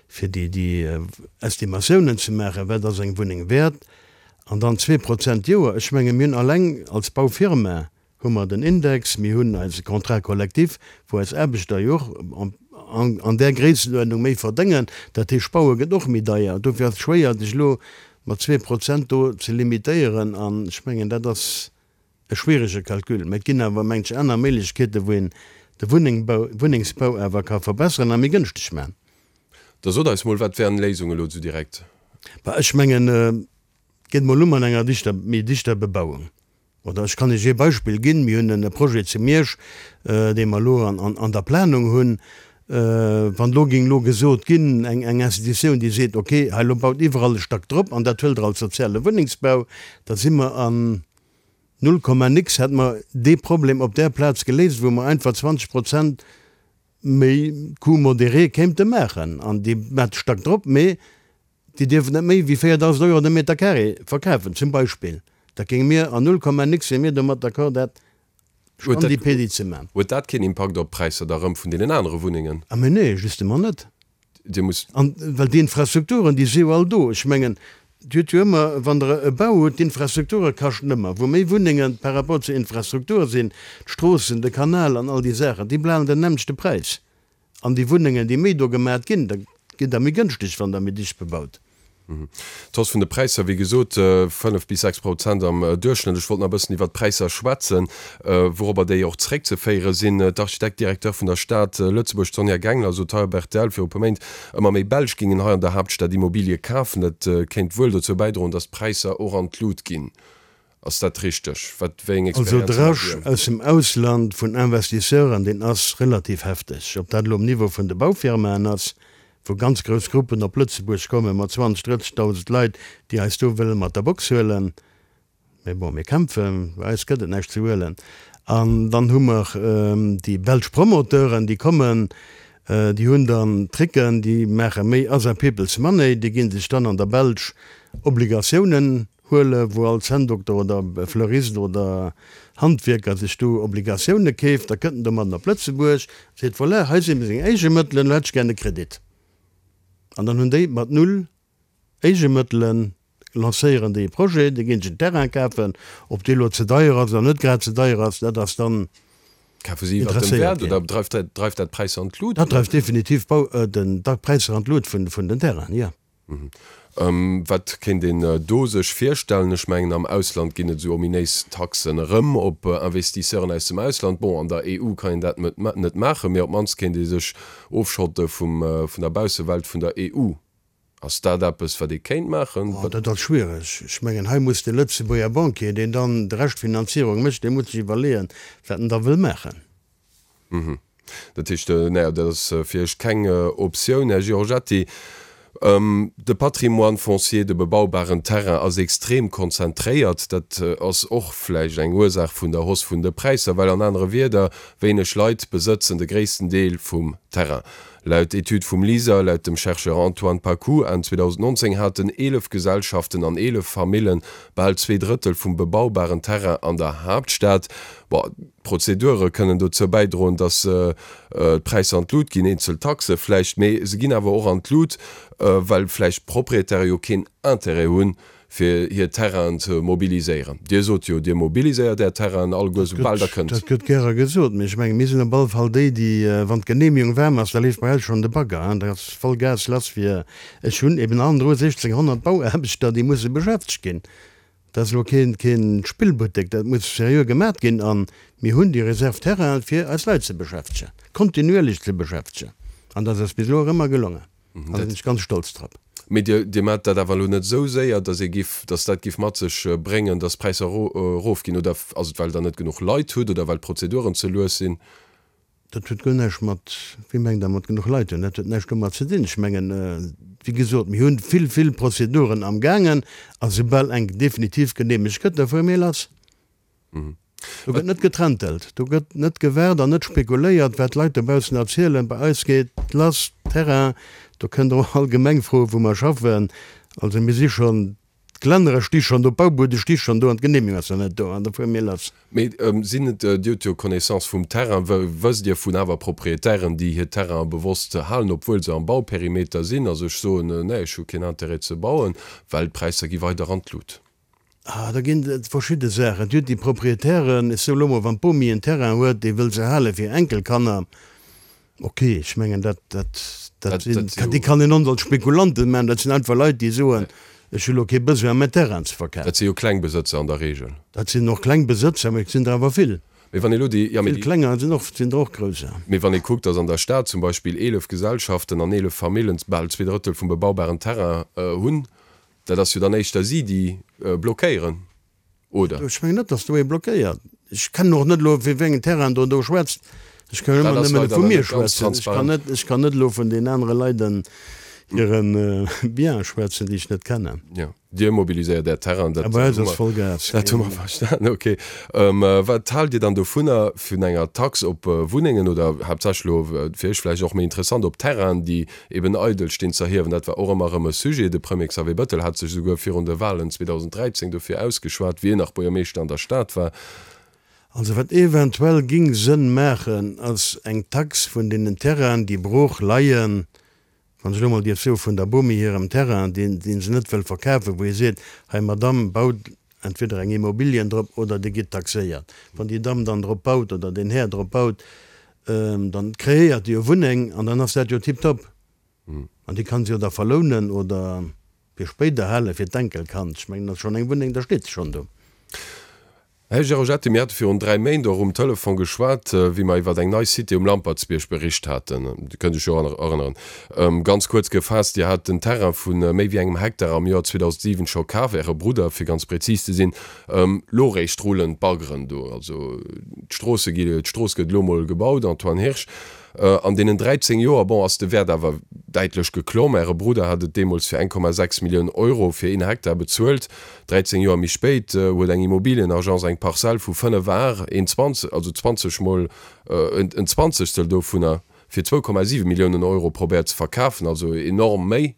fir déi déi Estimatiounen ze maachen, wat ass eng Wunneng wäert an dann 2% d'Joer. Ech menge mir hunn alleng als Baufirma hu mer den Index, mir hunn eise Contrat collectif, wou eis Aarbechter jo och an an där Gréissenuerdnung méi verdéngen. Dat heescht, Baue gëtt och méi deier. Dofir ass et schwéier, sech elo mat 2% do ze limitéieren an ech mengen dat ass E schwierege Calcul, mä et ginn awer, mengt ech, aner Méiglechkeeten, wou een de Wunnéngbau, Wunnengsbau awer ka verbesseren a méi gënschteg maachen. Da sot eis mol, wat wären Léisungen elo esou direkt? Bah, ech mengen, et geet mol u mat enger dichter, méi dichter Bebauung. Oder ech kann Iech ee Beispill ginn, Mir hunn e Projet zu Miersch, dee mer elo an der Planung hunn. Wann elo géing elo gesot ginn, eng Institutioun, déi seet, okay, hei elo baut iwwerall e Stack drop an dat huelt Der als soziale Wunnengsbau, da si mer an Null Komma nix hätte mer dee Problem op där Plaz geléist, wou mer einfach 20 Prozent méi Coût modéré kéimte maachen. An déi maacht Stack drop, mee déi dierfen net méi wéi 4.000 Euro de Meter carré verkafen, zum Beispill. Dat géinge mir an Null Komma nix wiere mir domat d'accord, dat Standi-pedi ze maachen. Huet dat keen Impakt op d'Präisser da rëm vun deenen anere Wunnengen? A mee nee, justement net. Dir musst. An well déi Infrastrukturen, déi si jo all do. Ech mengen, Dir hutt jo ëmmer, wann Der e Bau hutt, d'Infrastrukture kaschten ëmmer. Wou méi Wunnenge par rapport zur Infrastruktur sinn, d'Stroossen, de Kanal an all déi Saachen, déi bleiwen den nämmlechte Präis. An déi Wunnengen, déi méi do gemat ginn, da ginn der méi gënschteg, wann Der méi dicht bebaut. D'Hausse vun de Präisser, wéi gesot, 5 bis 6 Prozent am Duerchschnëtt. Ech wollt nach e bëssen iwwert d'Präisser schwätzen, wourobber déi och zeréckzeféiere sinn. D'Architekt-Directeur vun der Stad Lëtzebuerg, d'Sonja Gengler, sot hei op rtl viru e puer Méint, ëmmer méi Belsch géingen hei an der Haaptstad Immobilie kafen. Dat kéint wuel dozou bäidroen, datt d'Präisser och an d'Lut ginn. Ass dat richteg? Wat, wéi eng Also de Experienzen hatt Rush Dir? aus dem Ausland vun Investisseuren, deen ass relativ hefteg. Ob dat elo um Niveau vun de Baufirmaen ass, wou ganz grouss Gruppen op Lëtzebuerg komme mat 20, 30.000 Leit, déi eis do wëlle mat der Box huelen. Mee bon, mir kämpfen, bei eis gëtt et näischt ze huelen. An dann hu mer déi belsch Promoteuren, déi kommen, déi hunn dann Tricken, déi maache méi other people's money, déi gi sech dann an der Belsch Obligatiounen Huele wou all Zänndokter oder Fleurist oder Handwierker sech do Obligatioune keeft, da kënnt en domadden op Lëtzebuerg, seet, voilà, hei si meng Éigemëttelen, elo hätt ech gär e Kredit. An dann hunn déi mat null Éigemëttelen, lancéieren déi e Projet, da ginn se en Terrain kafen, ob dee elo ze deier ass oder net grad ze deier ass, dat ass dann Kafe si iwwert dem Wäert oder dreift dat d'Präisser an d'Lut? Dat dreift definitiv d'Präisser an d'Lut vun den Terrainen, jo. Wat kéint een do sech virstellen? Ech mengen, am Ausland ginn et esou ominéis Taxen erëm op Investisseuren aus dem Ausland. Bon, an der EU kann een dat net maachen, mee op d'mannst kéint ee sech ofschotte vum, vun der Baussewelt vun der EU. Ass dat eppes, wat ee kéint maachen? Oh, dat ass schwiereg. Ech mengen, hei muss de Lëtzebuerger Banquier, deen dann de Reschtfinanzierung mécht, dee muss sech iwwerleeën, wat en da wëll maachen. Dat heescht, naja, dat ass fir Iech keng Optioun, Här Giorgetti. De Patrimoine foncier, de bebaubaren Terrain ass extrem konzentréiert. Dat ass och vläicht eng Ursaach vun der Hausse vun de Präisser, well an anere Wierder, wéineg Leit besëtzen de gréissten Deel vum Terrain. Laut Etüd vum LISER, laut dem Chercheur Antoine Paccoud, Enn 2019 haten 11 Gesellschaften an 11 Famille bal zwee Drëttel vum bebaubaren Terrain an der Haaptstad. Bon, d'Prozedure kënnen dozou bäidroen, datt d'Präisser an d'Lut ginn, eenzel Taxe vläicht, mee se ginn awer och an d'Lut, well vläicht d'Proprietäre jo keen Intérêt hunn, fir hir Terrainen ze mobiliséieren. Dir sot jo, Dir mobiliséiert Är Terrainen alleguer, soubal Der kënnt. Dat gëtt gäre gesot, mee ech mengen, mir sinn op alle Fall déi, déi, wann d'Genehmigung waarm ass, da leeft bei eis schonn de Bagger, hein, da ass voll Gas lass fir, ech hunn eben hannendru 1.600 Bauaarbechter, déi musse beschäftegt ginn. Dat ass elo keen, keen Spillbuttek, dat muss seriö gemat ginn a mir hunn déi Réserve terrain, fir eis Leit ze beschäftegen, kontinuierlech ze beschäftegen an dat ass bis elo och ëmmer gelongen an da sinn ech ganz stolz drop. Mee Dir, Dir maacht dat awer elo net esou séier, datt ee giff, datt dat giff mat sech bréngen, datt d'Präisser erofginn. Oder ass et, well Der net genuch Leit hutt oder well d'Prozeduren ze lues sinn? Dat huet guer näischt mat, wéi mengt Der, mat genuch Leit hunn? Dat huet näischt domat ze dinn. Ech mengen, wéi gesot, mir hunn vill, vill Prozeduren amgaangen a soubal eng definitiv geneemegt gëtt, da fuere mir lass. Do gëtt net getrentelt, do gëtt net gewaart an net spekuléiert, wat d'Leit dobaussen erzielen. Bei eis geet lass, Terrain, do kënnt Der och all Gemeng froen, wou mer schaffen. Also mir si schonn D'Gelännere sti schonn do, d'Baubuede sti schonn do an d'Genehmigung ass nach net do an da fuere mir lass. Mee sinn et, Dir hutt jo Connaissance vum Terrain, wësst Dir vun awer Proprietären, déi hir Terrainen bewosst halen, obwuel se am Bauperimeter sinn a sech soen, nee, ech hu keen Intérêt ze bauen, well d'Präisser gi weider an d'Lut? Ah, da ginn et verschidde Saachen. Dir hutt déi Proprietären, ech soe lo mol, wann d'Bomi en Terrain huet, déi wëll se hale fir Enkelkanner, Ok, ech mengen dat, dat, dat sinn, déi kann een ons als Spekulanten maachen, dat sinn einfach Leit, déi soen, ech hu lo kee Besoin mäin Terrain ze verkafen. Dat si jo kleng Besëtzer an der Regel. Dat sinn och kleng Besëtzer, mee et sinn der awer vill. Mee wann ee lo déi, jo, mee déi. Vill klenger sinn och, sinn der och grousser. Mee wann ee kuckt, datt an der Stad zum Beispill 11 Gesellschaften an 11 Famillen bal zweedrëttel vum bebaubaren Terrain hunn, dat ass jo dann éischter si, déi blockéieren. Oder? Ech mengen net, datt do ee blockéiert. Ech kennen och net elo, fir wéi engen Terrain Der do schwätzt. Ech kann ëmmer nëmmen vu mir schwätzen. Ech kann net, ech kann net elo vun den anere Leit hire Biens schwätzen, déi ech net kennen. Jo, Dir mobiliséiert Är Terrainen, dat hu mer, dat hu mer verstanen. Okay. Wat haalt Dir dann dovunner, vun enger Tax op Wunnengen oder haaptsächlech elo, fir Iech vläicht och méi interessant, op Terrainen, déi eben eidel stinn, z'erhiewen. Dat war och ëmmer erëm e Sujet. De Premier Xavier Bettel hat sech esouguer virun de Walen 2013 dofir ausgeschwat, wéi en nach Buergermeeschter an der Stad war. Also wat eventuell ging Sënn maachen, ass eng Tax vun deenen Terrainen, déi brooch leien, wann ech elo mol dierf soen, vun der Bomi hirem Terrain, deen dee se net wëll verkafen, wou ee seet, hei Madamm, baut entweder eng Immobilien drop oder Dir gitt taxéiert. Wann déi Damm dann drop baut oder deen Här drop baut, dann kreéiert e jo Wunneng an dann ass dat jo tiptop. An déi kann se jo da verlounen oder fir spéider hale fir d'Enkelkand. Ech mengen, dat ass schonn eng Wunneng, da steet se schonn do. Här Giorgetti, mir hate virun 3 Méint och um Telefon geschwat, wéi mer iwwer eng nei Cité um Lampertsbierg bericht haten. Dir kënnt Iech jo erënneren. Ganz kuerz gefaasst, Dir hat den Terrain vu méi wéi engem Hektar am Joer 2007 scho kaf, Äre Brudder, fir ganz prezis ze sinn. Lo réischt rullen d'Baggeren do. Also d'Stroosse gi, d'Strooss gëtt elo mol gebaut, Antoine Hirsch. An deenen 13 Joer, bon, ass de Wäert awer däitlech geklomm. Äre Brudder hat et deemools fir 1,6 Millioun Euro fir een Hektar bezuelt. 13 Joer méi spéit huet eng Immobilienagence eng Parzell vu 5 Ar, een 20, also 20 mol en Zwanzegstel dovunner, fir 2,7 Milliounen Euro probéiert ze verkafen, also enorm méi.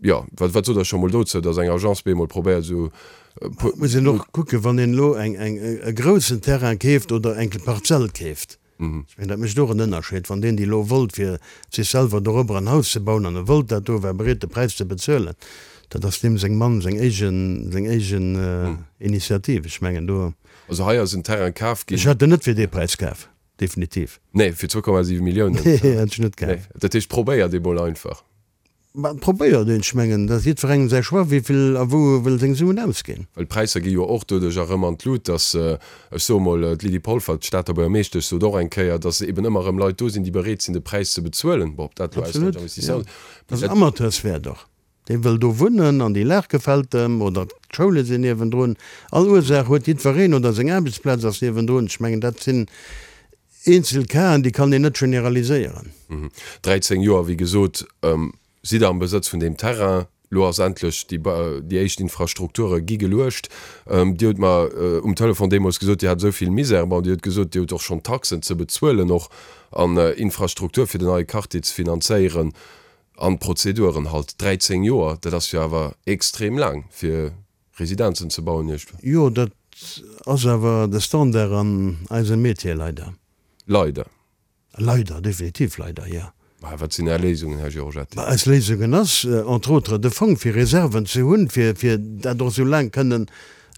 Jo, wat, wat sot Der scho mol dozou, datt eng Agence bemol probéiert esou e puer. Muss een och kucken, wann een elo eng, eng, e groussen Terrain keeft oder eng Parzell keeft. Ech mengen, dat mécht och en Ënnerscheed. Wann deen déi elo wollt, fir sech selwer dorobber en Haus ze bauen, an e wollt dat do, war bereet de Präis ze bezuelen, dat ass deem seng Mann seng éigen, seng éigen Initiativ. Ech mengen do. Also hei ass en Terrain kaf ginn. Ech hätt en net fir dee Präis kaf, definitiv. Nee, fir 2,7 Milliounen. Nee, hätt ech net kaf. Nee, dat heescht, probéiert ee mol einfach. Ma probéiert een, ech mengen, dat ass jiddwerengem säi Choix, wéi vill a wou e wëll seng Suen ausginn. Well d'Präisser gi jo och doduerch erëm an d'Lut, datt, ech soe mol, d'Lydie Polfer, d'Stater Buergermeeschtesch, sot och eng Kéier, datt eben ëmmer erëm Leit do sinn, déi bereet sinn, de Präis ze bezuelen. Bon, ob dat elo Absolut, jo. Dat ass en Amateurswäert och. Dee wëll do wunnen an déi Lag gefält em oder d'Schoule sinn niewendrun. All Ursaach huet jiddwereen oder seng Aarbechtsplaz ass niewendrun. Ech mengen, dat sinn Eenzel Casen, déi kann een net generaliséieren. 13 Joer, wéi gesot, sidd Der am Besëtz vun deem Terrain. Lo ass endlech déi, déi éischt Infrastrukture gi geluecht. Dir hutt mer um Telefon deemools gesot, Dir hat esou vill Misère. Bon, Dir hutt gesot, Dir hutt och schonn Taxen ze bezuelen och an Infrastruktur fir den neie Quartier ze finanzéieren an d'Prozeduren halt. 13 Joer, dat ass jo awer extrem laang fir Residenzen ze bauen iergendwou. Jo, dat ass awer de Standard an eisem Metier, leider. Leider. Leider, definitiv leider, jo. Mä wat sinn Är Léisungen, Här Giorgetti? Mä eis Léisungen ass, entre autres, de Fong fir Reserven ze hunn, fir, fir dat och esou laang kënnen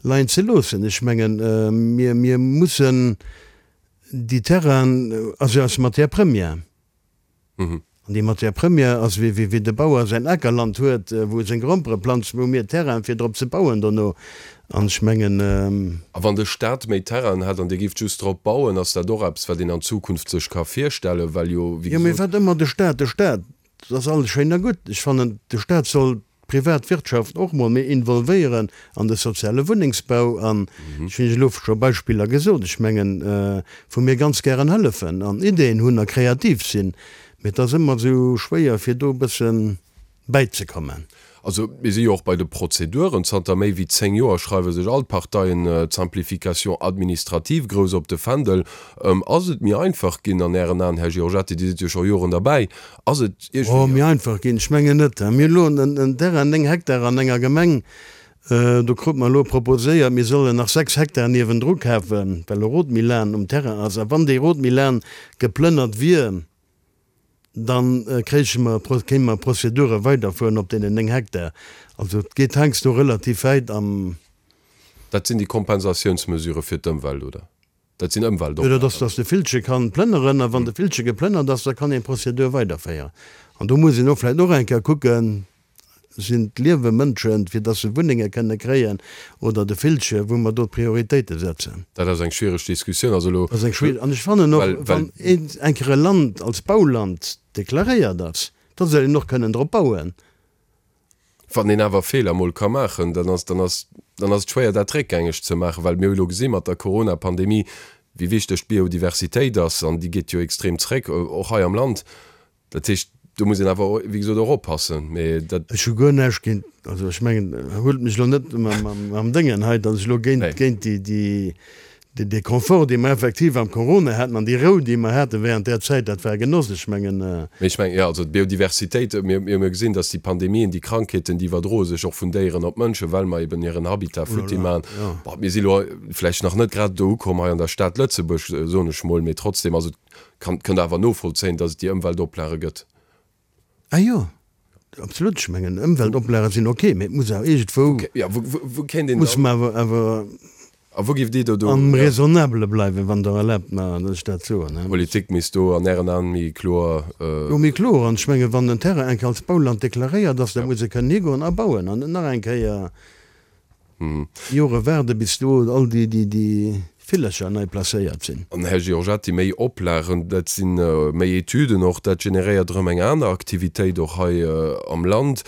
leien ze loossen. Ech mengen, mir, mir mussen déi Terrainen, ass jo eis Matière première, An déi Matière première ass, wéi wéi de Bauer säin Akerland huet, wou e seng Grompere planzt, hu mir Terrain fir drop ze bauen dono. An ech mengen. A wann de Staat méi Terrainen hätt an Dir géift just drop bauen, ass dat och eppes, wat een an Zukunft sech ka virstellen, well jo, wéi gesot. Jo, mee wat ëmmer de Staat, de Staat. Dat ass alles schéin a gutt. Ech fannen, de Staat soll d'Privatwirtschaft och mol méi involvéieren an de soziale Wunnengsbau. An ech hunn Iech elo scho Beispiller gesot. Ech mengen, wou mir ganz gären hëllefen an Ideeën hunn a kreativ sinn. Mee et ass ëmmer esou schwéier, fir do e bësse bäizekommen. Also mir si jo och bei de Prozeduren. Zanter méi wéi 10 Joer schreiwe sech all d'Parteien d'Simplification administrative grouss op de Fändel. Ass et méi einfach ginn an Ären Aen, Här Giorgetti? Dir sidd jo scho Joren derbäi. Ass et iergendwéi. Oh, méi einfach ginn? Ech mengen net. Mir hu elo en Terrain, 9 Hektar an enger Gemeng. Do krute mer elo proposéiert, mir sollen nach 6 Hektar niewendru kafen, well e Rotmilan um Terrain ass. A wann dee Rotmilan geplënnert wier, Dann kréiche mer, kéinte mer Prozedure weiderfueren op deenen 9 Hektar. Also et geet heiansdo relativ wäit am. Dat sinn déi Kompensatiounsmesurë fir d'Ëmwelt, oder? Dat sinn Ëmweltoplagen. Jo, dat ass, dass de Villche kann plënneren. A wann de Villche geplënnert ass, da kann een d'Prozedur weiderféieren. An do muss een och vläicht och eng Kéier kucken, Sinn d'Liewe Mënschen, fir dass se Wunnenge kënne kréien, oder de Villche, wou mer do d'Prioritéite setzen? Dat ass eng schwiereg Diskussioun. Also elo. Dat ass eng schwiereg. An ech fannen och, wann een eng Kéier e Land als Bauland deklaréiert ass, da soll een och kënnen drop bauen. Wann een awer Feeler mol ka maachen, dann ass, dann ass, dann ass et schwéier, dat réckgängeg ze maachen, well mir hu elo gesi mat der Corona-Pandemie, wéi wichteg d'Biodiversitéit ass, an déi geet jo extrem zréck, och hei am Land. Dat heescht, do muss een awer, wéi gesot, och oppassen. Mee dat. Ech hu guer näischt géint, also ech mengen, huelt mech elo net mam Déngen hei, datt ech elo géint, géint déi, déi, dee Confort, dee mer effektiv am Corona haten an déi Rou, déi mer hate während där Zäit, dat war e Genoss. Ech mengen. Mee ech mengen, jo, also d'Biodiversitéit, mir, mir hu jo gesinn, datt déi Pandemien, déi Krankheeten, déi iwwerdroe sech och vun Déieren op Mënschen, well mer eben hiren Habitat futti maachen. Bon, mir si elo vläicht nach net grad do ukomm hei an der Stad Lëtzebuerg, soen ech mol, mee trotzdem, also Kann, kënnt awer novollzéien, dass et déi Ëmweltoplage gëtt. Ah jo, absolut. Ech mengen, Ëmweltoplage sinn ok, mee et muss awer iergendwou. Wou, ja, wou, wou kéint een dann. Muss mer awer, awer. A wou giff Dir do do. Am Raisonnabele bleiwen, wann Der erlaabt mer, dass ech dat soen. D'Politik misst do an Ären Aen méi kloer. Jo, méi kloer. An ech mengen, wann en Terrain eng Kéier als Bauland deklaréiert ass, da muss e kënnen higoen a bauen an net nach eng Kéier. Jore waarde bis do all déi Villercher nei placéiert sinn. An, Här Giorgetti, méi Oplagen, dat si méi Etüden och, dat generéiert erëm eng aner Aktivitéit och hei am Land,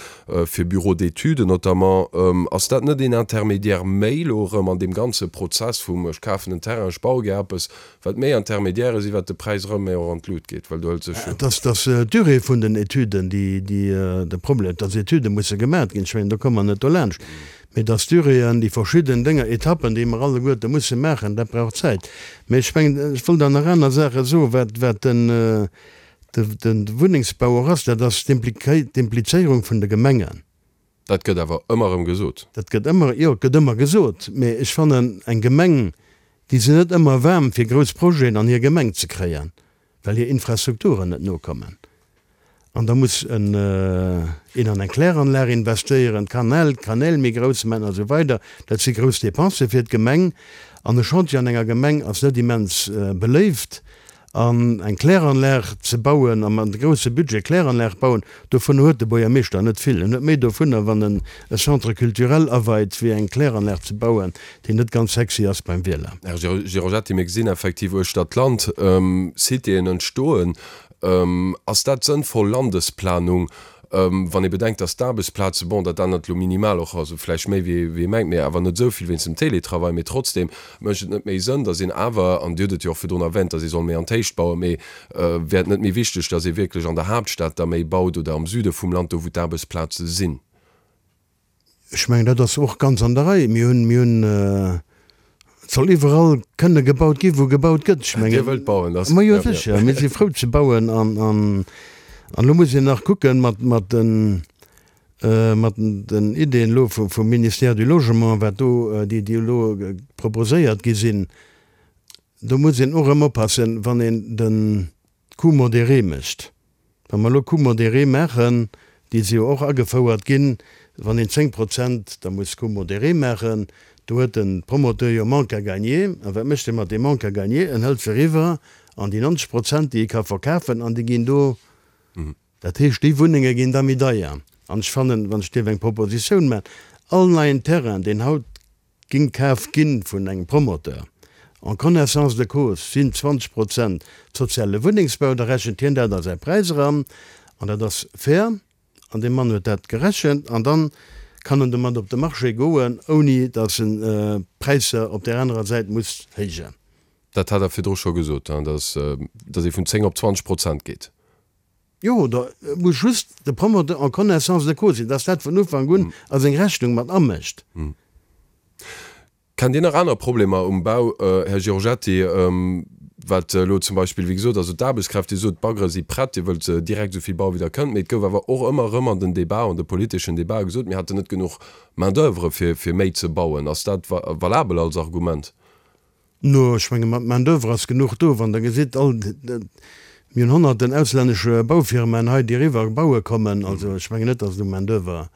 fir Bureaux d'études notamment. Ass dat net een Intermédiaire méi elo erëm an deem ganze Prozess vum ech kafen en Terrain, ech baue gär eppes, wat méi Intermédiairë sinn, wat de Präis erëm méi och an d'Lut geet, well do hëlt sech jo. Et ass d'Durée vun den Etüden, déi de Problem, dass Etüde musse gemaat ginn, ech mengen, do komme mer net dolaanscht. Mee dass d'Duréeën, déi verschidden Dénger, Etappen, déi mer alleguerte musse maachen, dat brauch Zäit. Mee ech mengen, ech wollt awer nach aner Saache soen, wat, wat den, de Wunnengsbau och ass, dat ass d'Implizéierung vun de Gemengen. Dat gëtt awer ëmmer erëm gesot. Dat gëtt ëmmer, jo, et gëtt ëmmer gesot. Mee ech fannen, eng Gemeng, déi sinn net ëmmer waarm, fir grouss Projeten an hir Gemeng ze kréien, well hir Infrastrukturen net nokommen. An da muss en een an eng Kläranlag investéieren, d'Kanäl, d'Kanäl méi grouss maachen a sou weider. Dat si grouss Depensë fir d'Gemeng. An e Chantier an enger Gemeng ass net immens beléift. An eng Kläranlag ze bauen a mat grousse Budget Kläranlag bauen, dovun huet de Buergermeeschter net vill. En huet méi dovunner, wann en e Centre culturel aweit, wéi eng Kläranlag ze bauen, déi net ganz sexy ass beim Wieler. Här Giorgetti, mir gesinn effektiv uechter d'Land Citéen entstoen. Ass dat sënnvoll Landesplanung, wann ee bedenkt, datt d'Aarbechtsplaze, bon, dat ännert elo minimal och, also vläicht méi wéi ee mengt, mee awer net esou vill wéinst dem Télétravail, mee trotzdem mécht et net méi Sënn, datt een awer, an Dir hutt et jo och virdrun erwähnt, datt ee soll méi an d'Héicht bauen, mee wär et net méi wichteg, datt ee wierklech an der Haaptstad da méi baut oder am Süde vum Land, do wou d'Aarbechtsplaze sinn? Ech mengen, dat ass och ganz an der Rei. Mir hunn, mir hunn, et soll iwwerall kënne gebaut ginn, wou gebaut gëtt. Ech mengen. Dir wëllt bauen, dat ass. Ma jo, sécher. Mir si frou ze bauen. An, an, an elo muss een nach kucken mat, mat den, mat den Ideeën elo vum, vum Ministère du Logement, wat do, déi, déi elo proposéiert gi sinn. Do muss een och erëm oppassen, wann een de Coût modéré mécht. Wa mer elo Coût modéré maachen, déi si jo och agefouert ginn, wann een 10 Prozent da muss Coût modéré maachen, do huet de Promoteur jo Manque à gagner. A wat mécht e mat deem Manque à gagner? En hëlt se eriwwer an déi 90 Prozent, déi e ka verkafen, an déi ginn do, dat heescht, déi Wunnenge ginn da méi deier. An ech fannen, wann ech dierf eng Propositioun maachen, all neien Terrain, deen haut Ging kaf ginn vun engem Promoteur en connaissance de cause, sinn 20 Prozent soziale Wunnengsbau, da rechent hien dat a säi Präis eran. An dat ass fair. An dee Mann huet dat gerechent. An dann kann en domat op de Marché goen, ouni datt en d'Präisser op där anerer Säit muss héijen. Dat hat Der virdru scho gesot, datt ee vun 10 op 20 Prozent geet. Jo, da muss just de Promoteur en connaissance de cause sinn, dass dat vun Ufank un a seng Rechnung mat amécht. Kennt Dir nach aner Problemer um Bau, Här Giorgetti, wat elo zum Beispill, wéi gesot, also d'Aarbechtskräfte, Dir sot, d'Baggere si prett, Dir wëllt direkt esou vill bauen, wéi Der kënnt, mee et gouf awer och ëmmer erëm an den Debat, an de politeschen Debatë gesot, mir hätten net genuch Main-d'oeuvre fir, fir méi ze bauen. Ass dat valabel als Argument? No, ech menge mat Main d'oeuvre ass genuch do. Wann Der gesitt, all, mir hunn honnerten auslännesche Baufirmaen hei, déi eriwwer baue kommen. Also ech mengen net, datt et u Main d'oeuvre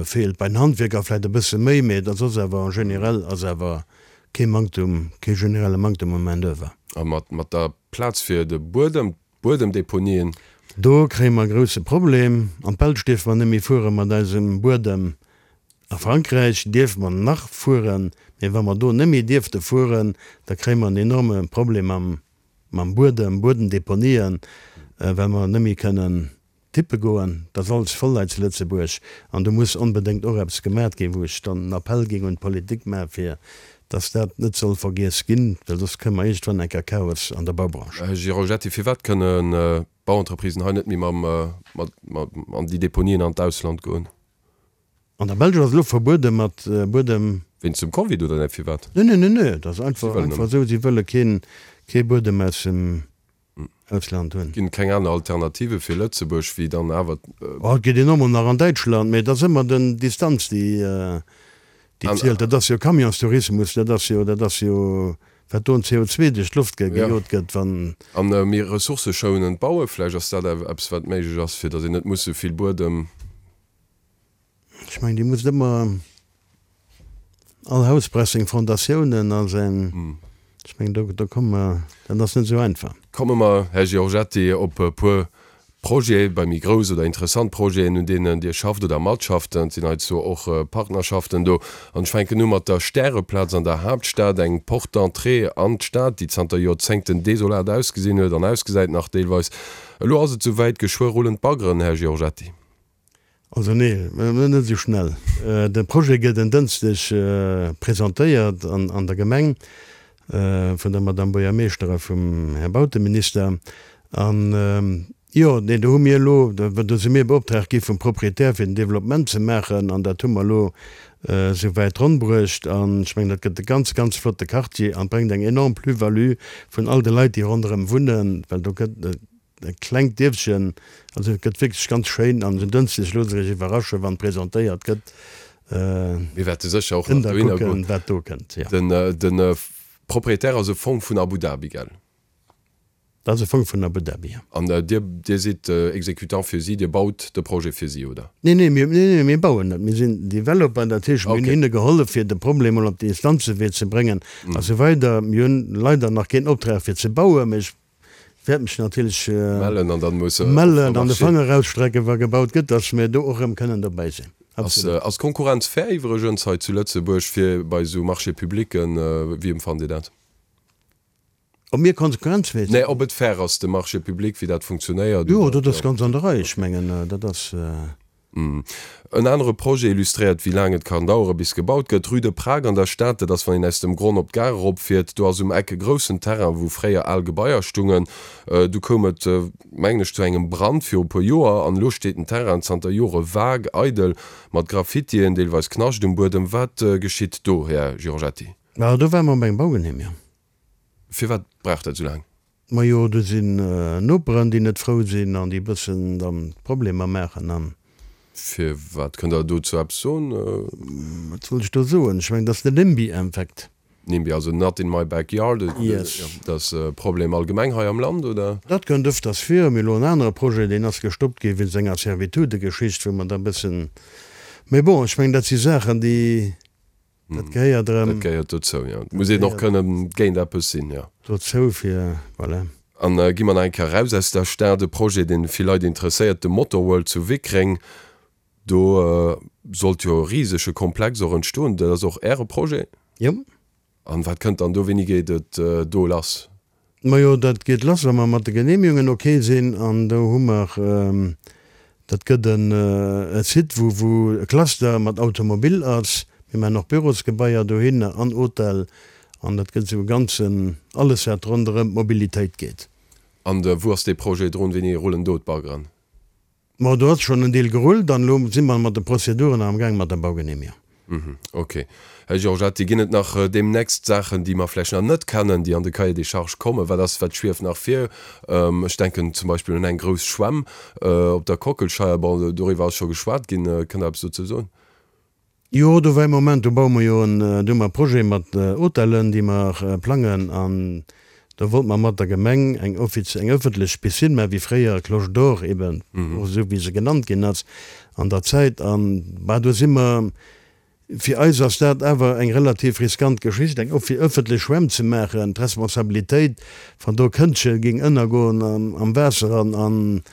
feelt. Bei den Handwierker vläicht e bësse méi, mee et ass soss awer en général ass awer kee Manktum, kee generelle Manktum u Main d'oeuvre. A mat, mat der Plaz fir de Buedem, d'Buedemdeponien? Do kréie mer e grousse Problem. An d'Belsch dierfe mer net méi fuere mat eisem Buedem. A Frankräich dierfe mer nach fueren, mee wa mer do net méi dierfte fueren, da kréie mer en enorme Problem mam, mam Buedem, Buedemdeponien, well mer net méi kënnen tippe goen. Et ass alles voll hei zu Lëtzebuerg an do muss onbedéngt och eppes gemat ginn, wou ech dann en Appell géing un d'Politik maachen, fir dass dat net soll vergiess ginn, well soss kréie mer iergendwann eng Kéier Chaos an der Baubranche. Här Giorgetti, firwat kënnen d'Bauentreprisen hei net méi mam, mat, mat an déi Deponien an d'Ausland goen? An der Belsch ass elo verbuede mat Buedem. Wéinst dem Covid oder net firwat? Nee, nee, nee, nee, dat ass einfach einfach esou, si wëlle keen kee Buedem aus dem Ausland hunn. Ginn et keng aner Alternative fir Lëtzebuerg wéi dann awer. Oh, et geet een och mol nach an Däitschland, mee et ass ëmmer den Distanz déi déi zielt. Dat ass jo Camionstourismus, dat ass jo dat ass jo wat do un CO2 duerch d'Loft gejot gëtt, wann. An méi ressourcëschounend baue vläicht, ass dat eppes wat méiglech ass, fir datt een net muss esou vill Buedem. Ech mengen, Dir musst ëmmer all Haus brauch seng Fondatiounen a säin, ech mengen, do, do komme mer, dat ass net esou einfach. Komme mer, Här Giorgetti, op e puer Projete, bei méi grouss oder interessant Projeten, un deenen Dir schafft oder matschafft. Et sinn heizou och Partnerschaften do. An ech fänken u mat der Stäreplaz an der Haaptstad, eng Porte d'entrée an d'Stad, déi zanter Joerzéngten desolat ausgesinn huet an ausgesäit nach deelweis. Elo ass et souwäit, geschwë rullen d'Baggeren, Här Giorgetti. Also nee, net esou schnell. De Projet gëtt en Dënschdeg presentéiert an der Gemeng vun der Madame Buergermeeschter a vum Här Bauteminister. An jo, nee, do hu mir elo, do si mir beoptraagt gi vum Proprietär fir den Developpement ze maachen an dat hu mer elo esou wäit ronn bruecht. An ech mengen, dat gëtt e ganz, ganz flotte Quartier an bréngt eng enorm Plus-value vun all de Leit, déi ronderëm wunnen, well do gëtt, E klengt Dierfchen, also et gëtt wierklech ganz schéin an en Dënschdeg loosst Iech iwwerraschen, wann presentéiert gëtt. Mir wäerte sécher och nach dohinner goen. Wat do kënnt, jo. Den Propriétaire ass e Fong vun Abu Dhabi, gell? Dat ass e Fong vun Abu Dhabi, jo. An Dir, Dir sidd Exécutant fir si, Dir baut de Projet fir si, oder? Nee, nee, mir, nee, nee, mir bauen net. Mir sinn Developer, dat heescht, mir hunn hinne gehollef, fir de Problem mol op de Instanzewee ze bréngen a sou weider. Mir hunn leider nach keen Optrag fir ze bauen, mee ech Wäert mech natierlech mellen an dann muss mellen an de Fanger rausstrecken, wa gebaut gëtt, dass mir do och erëm kënnen dobäi sinn. Absolut. Ass d'Konkurrenz fair iwwregens hei zu Lëtzebuerg fir bei esou Marchés publicen? Wéi empfannt Dir dat? Ob mir konkurrenzfäeg sinn? Nee, ob et fair ass, de Marché public, wéi dat funktionéiert? Jo, dat ass ganz an der Rei. Ech mengen, dat ass. En anere Projet illustréiert, wéi laang et kann dauere bis gebaut gëtt. Rue de Prague an der Stad, dat ass wann een aus dem Gronn op d'Gare eropfiert. Do ass um Eck e groussen Terrain, wou fréier al Gebaier stungen. Du koum et, mengen ech, zu engem Brand viru puer Joer an elo steet den Terrain zanter Jore vague, eidel, mat Graffitien, deelweis Knascht um Buedem. Wat geschitt do, Här Giorgetti? Ma do ware mer op engem Baugenehmigung. Firwat brauch dat esou laang? Majo, do sinn Noperen, déi net frou sinn an déi e bëssen dann Problemer maachen an. Firwat? Kënnt Der dozou eppes soen? Wat soll ech do soen? Ech mengen, dat ass den NIMBY-Effekt. NIMBY, also not in my backyard. Yes. Dat ass e Problem allgemeng hei am Land, oder? Dat kënnt ëfters vir. Mir hu elo en anere Projet, deen ass gestoppt gi wéinst enger Servitudegeschicht, wou mer da e bëssen, mee bon, ech mengen, dat si Saachen, déi. Dat gehéiert erëm. Dat gehéiert dozou, jo. Et muss een och kënnen géint eppes sinn, jo. Dozou fir, voilà. An gi mer nach eng Kéier eraus aus der Stad. E Projet, dee vill Leit interesséiert, de Motorworld zu Wickreng. Do sollt jo e risege Komplex och entstoen. Dat ass och Äre Projet? Jo. An wat kënnt dann do? Wéini geet et do lass? Majo, dat geet lass, wa mer mat de Genehmigungen ok sinn. An do hu mer, dat gëtt en e Site, wou wou e Cluster mat Automobil ass. Mir maachen och Bürosgebaier dohinner an Hotel. An dat gëtt esou e ganzen, alles wat ronderëm d'Mobilitéit geet. An wou ass dee Projet drun? Wéini rullen do d'Baggeren? Ma do ass schonn en Deel gerullt an elo si mer mat de Prozeduren am gaang mat der Baugenehmigung. Ok. Här Giorgetti, ginn et nach deemnächst Saachen, déi mer vläicht nach net kennen, déi an de Cahier des charges kommen? Wat ass, wat schwieft nach vir? Ech denken zum Beispill un eng grouss Schwämm op der Kockelscheier. Bon, doriwwer ass scho geschwat ginn. Kënnt Der eppes dozou soen? Jo, do war ee Moment, do baue mer jo en, do hu mer e Projet mat Hotellen, déi mer plangen an do wollte mer mat der Gemeng eng offiz, eng ëffentlech Piscine maachen, wéi fréier Cloche d'Or eben, och esou wéi se genannt ginn ass an der Zäit. An bah, do si mer, fir eis ass dat awer eng relativ riskant Geschicht, eng offi, ëffentlech Schwämm ze maachen, d'Responsabilitéit, wann do e Këndche géing ënnergoen am Waasser an, an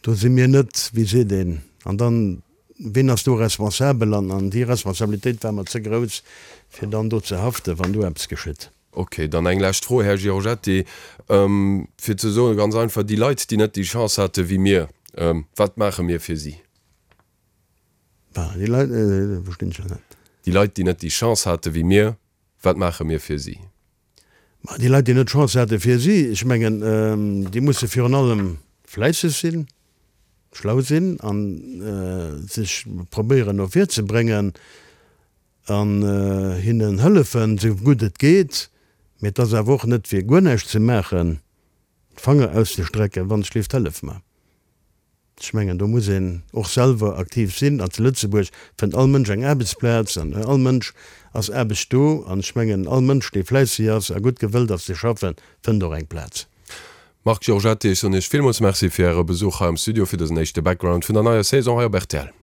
do si mir net, wéi seet een, an dann, Ween ass do responsabel? An an déi Responsabilitéit war mer ze grouss, fir dann do ze haften, wann do eppes geschitt. Ok, dann eng lescht Fro, Här Giorgetti, fir ze soen, ganz einfach, déi Leit, déi net déi Chance hate wéi mir, wat maache mir fir si? Déi Leit, verstinn ech elo net. Déi Leit, déi net déi Chance hate wéi mir, wat maache mir fir si? Ma déi Leit, déi net d'Chance hate fir si, ech mengen, déi musse virun allem fläisseg sinn, schlau sinn a sech probéieren no vir ze bréngen an hinnen hëllefen, esou gutt et geet. Mee et ass awer och net fir guer näischt ze maachen, d'Fanger auszestrecken, wann ech léift, hëllef mer. Ech mengen, do muss een och selwer aktiv sinn. An zu Lëtzebuerg fënnt all Mënsch eng Aarbechtsplaz an all Mënsch ass Aarbecht do. An ech mengen, all Mënsch, dee fläisseg ass a gutt gewëllt ass ze schaffen, fënnt och eng Plaz. Marc Giorgetti, ech soen Iech villmools Merci fir Äre Besuch hei am Studio fir dësen éischte Background vun der neier Saison hei op rtl.